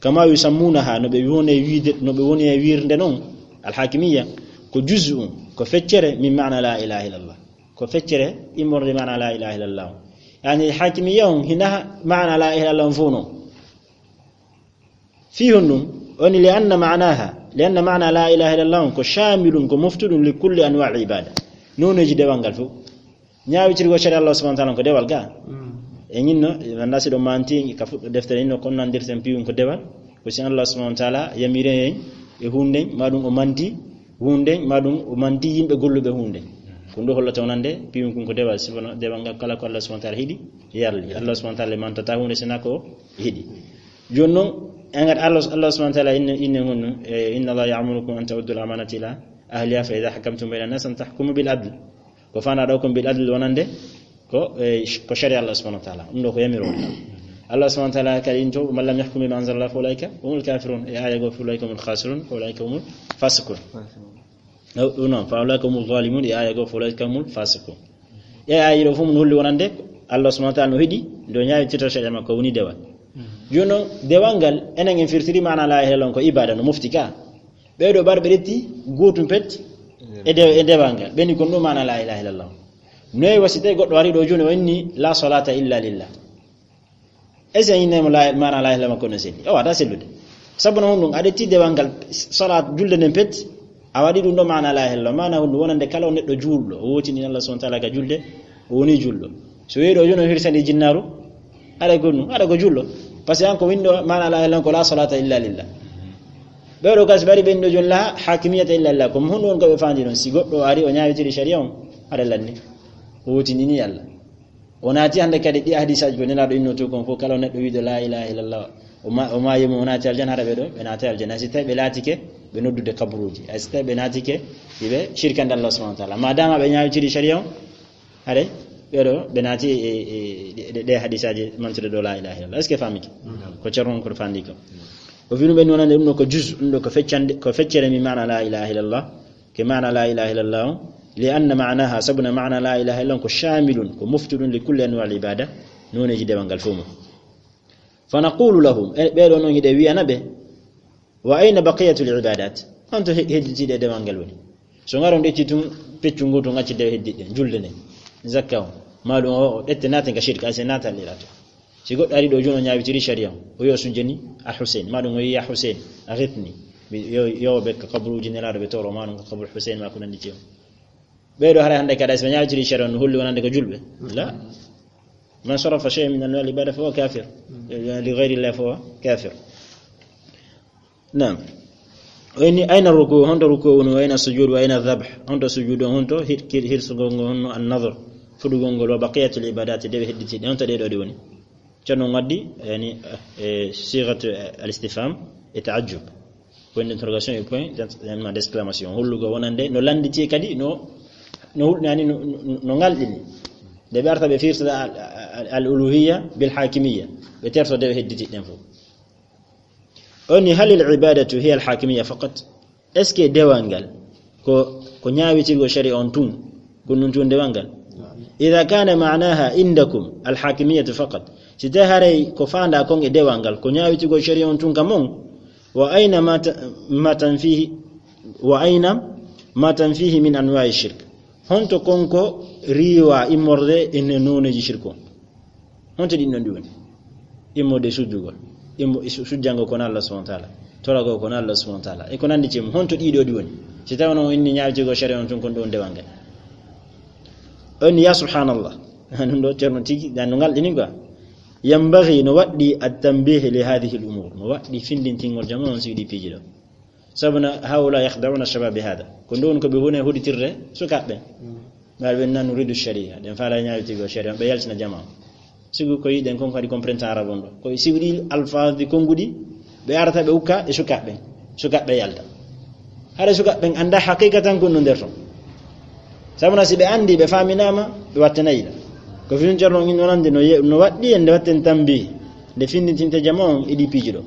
kama yusammunaha, no ɓe woni e wiide, no ɓe woni e wiirde non, al hakimiyya, ko juz'un, ko feccere, min maana la ilaha illallah. Ko feccere immorde maana la ilaha illallah on. Yani hakimiyya on hina maana la ilaha illallah on fof non. Fii honɗum? Woni li anna maanaha, li anna maana la ilaha illallah on ko shamilun, ko moftuɗum li kulli anwa al ibada. Nooneeji dewal ngal fof. Ñaawitirgol sharia Allah subhanahu wa taala ko dewal ga. Mm. E ñinno, wanda si ɗo manti ka fuɗɗo deftere inno kon nandirten piiwun ko dewal. Ko si Allah subhanahu wa taala yamiri en e huunde, ma ɗum o manti huunde, ma ɗum o manti yimɓe golluɓe huunde. Ɗum ɗo hollata wonande piwin kun ko dewal, sifono dewal ngal kala ko Allah subhanahu wa ta'ala hiɗi yarli. Allah subhanahu wa ta'ala mantata hunde sina ko hiɗi. Jooni noon, en ngat Allah, Allah subhanahu wa ta'ala inne, inne honno, e, "Inna Allah ya'murukum an ta'uddu al-amanati ila ahliha fa idha hakamtum bayna an-nas an tahkumu bil adl." Ko fana ɗo kon bil adl wonande ko, e, ko shari'a Allah subhanahu wa ta'ala. Ɗum ɗo ko yamiro. Allah subhanahu wa ta'ala kadi into, "Man lam yahkum bima anzala Allah fa ulaika humul kafirun." E aya go, "Fa ulaika humul khasirun, fa ulaika humul fasiqun." Ɗum noon, "Fa ulaika humul zalimun," e aya go, "Fa ulaika humul fasiqun." E aya ɗo fof mun holli wonande Allah subhanahu wa ta'ala no hiɗi, ndo ñaawitirta shari'a makko woni dewal. Jooni noon, dewal ngal, enen en firtiri maana la ilaha illallah ko ibada no mofti ka. Ɓeeɗo ɓar ɓe ƴetti gootum pet e de-, e dewal ngal. Ɓe ni kon ɗum maana la ilaha illallah. Noy wasi tawi goɗɗo ari ɗo jooni o inni la salata illa lillah. Est-ce que innemo la, maana la ilaha illallah makko no selli? O wata sellude. Sabu no honɗum, aɗa ƴetti dewal ngal salat julde nden pet, a waɗi ɗum ɗo maana la ilaha illallah. Maana honɗum wonande kala o neɗɗo juulɗo, o wootini Allah subhanahu wa ta'ala ka julde, o woni juulɗo. So weeɗo jooni o hirsani jinnaaru, aɗa ko ɗum, aɗa ko juulɗo. Parce que an ko winndo maana la ilaha illallah ko la salata illa lillah. Ɓeeɗo gas ɓari ɓen ɗo jooni la hakimiyata illa lillah. Ko honɗum woni ko ɓe faandi ɗon? Si goɗɗo ari o ñaawitiri sharia on, aɗa lanni. O wootinini Allah. O naati hannde kadi ɗi hadisaaji ko Nelaaɗo innoo to kon fof, kala neɗɗo wiiɗo la ilaha illallah, o ma-, o maayi mo, o naati aljanna, hara ɓe ɗo, ɓe naati aljanna. Hay si tawi ɓe laatike ɓe noddude kaburuuji, hay si tawi ɓe naatike iɓe shirkande Allah subhanahu wa ta'ala. Ma dama ɓe ñaawitiri sharia on, hare ɓe ɗo, ɓe naati e, e, e, ɗe, ɗe hadisaaji mantude ɗo la ilaha illallah. Est-ce que famiki? Ko Ceerno on ko faandi ko. O fii ɗum ɓe wonande ɗum ɗo ko juz, ɗum ɗo ko feccande, ko feccere mi maana la ilaha illallah. Ke maana la ilaha illallah on, li anna maanaha, sabuna maana la ilaha illallah on ko shamilun, ko moftuɗum li kulli anwa al ibada, nooneeji dewal ngal fof mum. Fa naqulu lahum, e ɓee ɗoo noon hiɗen wiyana ɓe, wa ayna baqiyatul ibadat? Honto he-, hedditiiɗe dewal ngal woni? So ngaron ɗecci tun peccu ngotu ngacci dewe heddiɗe, julde nden, zakka on, ma ɗum o, o ɗette naate nga shirka, ay se naata lirato. Si goɗɗo ari ɗo jooni o ñaawitiri sharia on, o yo sujjani a Hussein, ma ɗum o yi ya Hussein, a hetni, mi yo, yo ɓe ka kaburuuji Nelaaɗo ɓe toro, ma ɗum ka kaburu Hussein, ma ko nanndi ceew. Ɓee ɗo haray hannde kadi, si ɓe ñaawitiri sharia on, no holli wonande ko julɓe? La. Man sarafa shay'an min anwa al ibada fa huwa kafir. Li ghayri llah fa huwa kafir. Naam. O inni, ayna ruku, honto ruku woni, wa ayna sujud, wa ayna dhabh, honto sujudu, honto hir-, hir-, hirsugol ngol, honno an nadhr, fuɗugol ngol, wa baqiyatul ibadati, dewe hedditiiɗe, honto ɗee ɗoo ɗi woni? Ceerno on waddi, yani, eh, sighatu, eh, al istifham e ta'ajjub. Point d'interrogation e point d'ex-, yani, d'exclamation. Hollugo wonande, no lannditi kadi, no, no hul-, yani, no, no, no ngalɗini. Nde ɓe arta ɓe firtata al, al, al uluhiyya bil hakimiyya. Ɓe terto dewe hedditiiɗe ɗen fof. O inni, halil ibadatu hiya al hakimiyya faqat? Est-ce que dewal ngal ko, ko ñaawitirgol sharia on tun, ko ɗum tun dewal ngal? Idha kana ma'naha indakum al hakimiyyatu faqat, si tawi haray ko faanda kon e dewal ngal ko ñaawitirgol sharia on tun ka mon, wa ayna ma ta-, ma tanfihi, wa ayna ma tanfihi min anwa'i shirk? Honto kon ko riiwa immorde e nooneeji shirku on? Honto ɗin ɗon ɗi woni? Immorde sujjugol, immo-, su-, sujjangol kono Allah subhanahu wa ta'ala, toragol kono Allah subhanahu wa ta'ala, e ko nanndi cem, honto ɗii ɗoo ɗi woni? Si tawi on inni ñaawitugol sharia on tun kon ɗon dewal ngal. On ya subhanallah. Ɗum ɗo Ceerno tigi, dan no ngal ɗini quoi. Yanbaghi, no waɗɗi at tanbih li hadhihi al umur. No waɗɗi findintingol jama on si ɗi piiji ɗo. Sabuna haula yakhda'una shabab bi hada. Ko ɗum woni ko ɓe woni huɗitirde sukaaɓe. Ɓe ɓe nan nuridu sharia. Ɗen faala ñaawitigo sharia. Ɓe yaltina jama. Sigu ko yiɗen kon kadi comprendre arabe on ɗo. Ko sigu ɗi alfaaz ɗi konnguɗi, ɓe arata ɓe ukka e sukaaɓe. Sukaaɓe yalta. Hara sukaaɓe ɓen annda haqiqatan ko no nder ton. Sabuna si ɓe anndi, ɓe faaminaama, ɓe wattanayi la. Ko fini Ceerno on wonande no ye-, no waɗɗi en nde watten tambi. Nde findintinte jama on e ɗi piiji ɗo.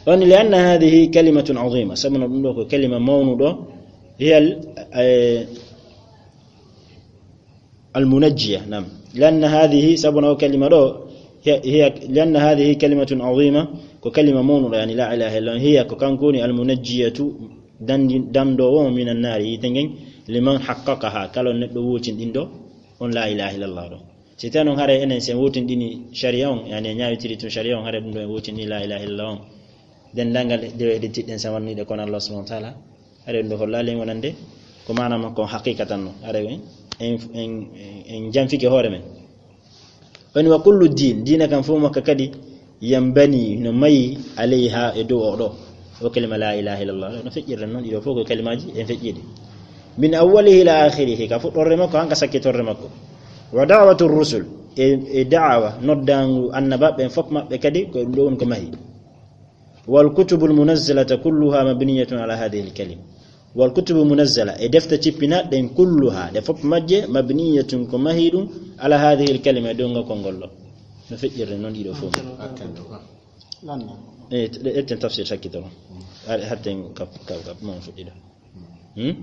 On li anna hadhihi kalimatun azima, sabuna ɗum ɗo ko kalima mawnuɗo, hiya al, eh, al munajjiya, nam. Li anna hadhihi, sabuna o kalima ɗo, hiya, hiya, li anna hadhihi kalimatun azima, ko kalima mawnuɗo, yani la ilaha illa, hiya ko kanko woni al munajjiyatu, dandi-, dandowo min an nari, yiite ngen, liman haqqaqaha, kala neɗɗo wootinɗinɗo on la ilaha illallah ɗo. Si tawi noon haray enen, si en wootinɗini sharia on, yani en ñaawitiri tun sharia on, haray ɗum ɗo en wootini la ilaha illallah on. Denndaangal dewe hedditiiɗen, si en wanniiɗe kono Allah subhanahu wa ta'ala, haray ɗum ɗo hollaali en wonande ko maana makko on haqiqatan no. Haray en, en, en, en janfike hoore men. Woni wa kullu din, diina kan fof makka kadi, yanbani, no mayi, alayha, e dow o ɗo. O kalima la ilaha illallah, no feƴƴirta noon, ɗiɗo fof ko kalimaaji en feƴƴiiɗi. Min awwalihi ila akhirihi, ka fuɗɗorde makko han ka sakkitorɗe makko. Wa da'watu rusul, e, e da'awa, noddaangu annabaaɓe ɓen fof maɓɓe kadi ko ɗum ɗo woni ko mahi. Wal kutubul munazzalata kulluha mabniyatun ala hadhihi al kalima. Wal kutubu munazzala, e defte cippinaaɗe ɗen kulluha, ɗe fof majje mabniyatun ko mahi ɗum ala hadhihi al kalima, e dow ngol konngol ɗo. No feƴƴirde noon ɗiɗo fof. Lanna. E, ɗe, etten tafsir sakkitoro. Ar-, hatten kap, kap, kap, mon fuɗɗiɗo. Hmm?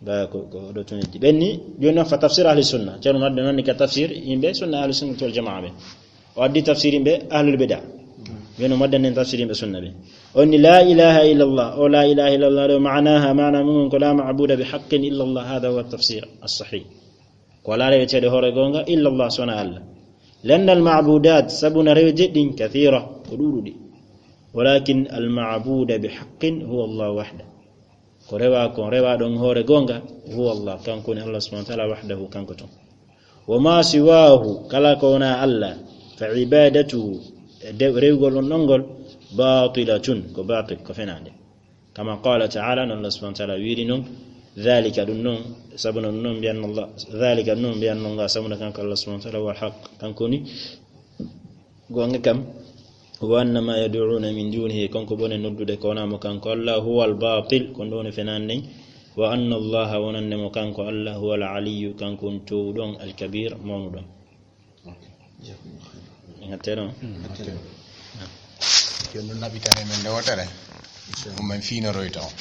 Ba ko, ko ɗo tun heddi. Ɓen ni, jooni noon fa tafsir ahli sunna. Ceerno Madde noon ni ka tafsir yimɓe sunna ahli sunna wal jamaa ɓe. O addi tafsir yimɓe ahlul bida. Jooni o maddan en tafsir yimɓe sunna ɓe. On ni la ilaha illa Allah. O la ilaha illa Allah ɗo maanaha, maana mum ko la ma'buda bi haqqin illa Allah. Hada huwa tafsir as-sahih. Ko alaa reweteeɗo hoore goonga illa Allah, so wonaa Allah. Lianna al ma'budat, sabu na reweteeɗi ɗin kathira, ko ɗuuɗuɗi. Walakin al ma'buda bi haqqin huwa Allah wahda. Ko rewa, ko rewaaɗo on hoore goonga, huwa Allah, kanko woni Allah subhanahu wa ta'ala wahdahu, kanko tun. Wa ma siwahu, kala ko wonaa Allah, fa ibadatuhu, e de-, rewgol on ɗon ngol, batilatun, ko batil, ko fenaande. Kama qala ta'ala, no Allah subhanahu wa ta'ala wiiri non, dhalika ɗum non, sabu no ɗum non mbiyanno Allah, dhalika ɗum non mbiyanno nga, sabu no kanko Allah subhanahu wa ta'ala huwa al-haq, kanko woni goonga kam. Wa anna ma yad'una min dunihi, kanko bone noddude ko wonaa mo kanko Allah, huwa al-batil, ko ɗum woni fenaande nden. Wa anna Allah, wonande mo kanko Allah, huwa al-aliyyu, kanko woni toowuɗo on, al-kabir, mawnuɗo on. Ok. En hattee ɗon? Mm, hattee ɗon. Yo ɗum naɓitane men nde wootere. Inchallah. Ko men fiinoroyta on.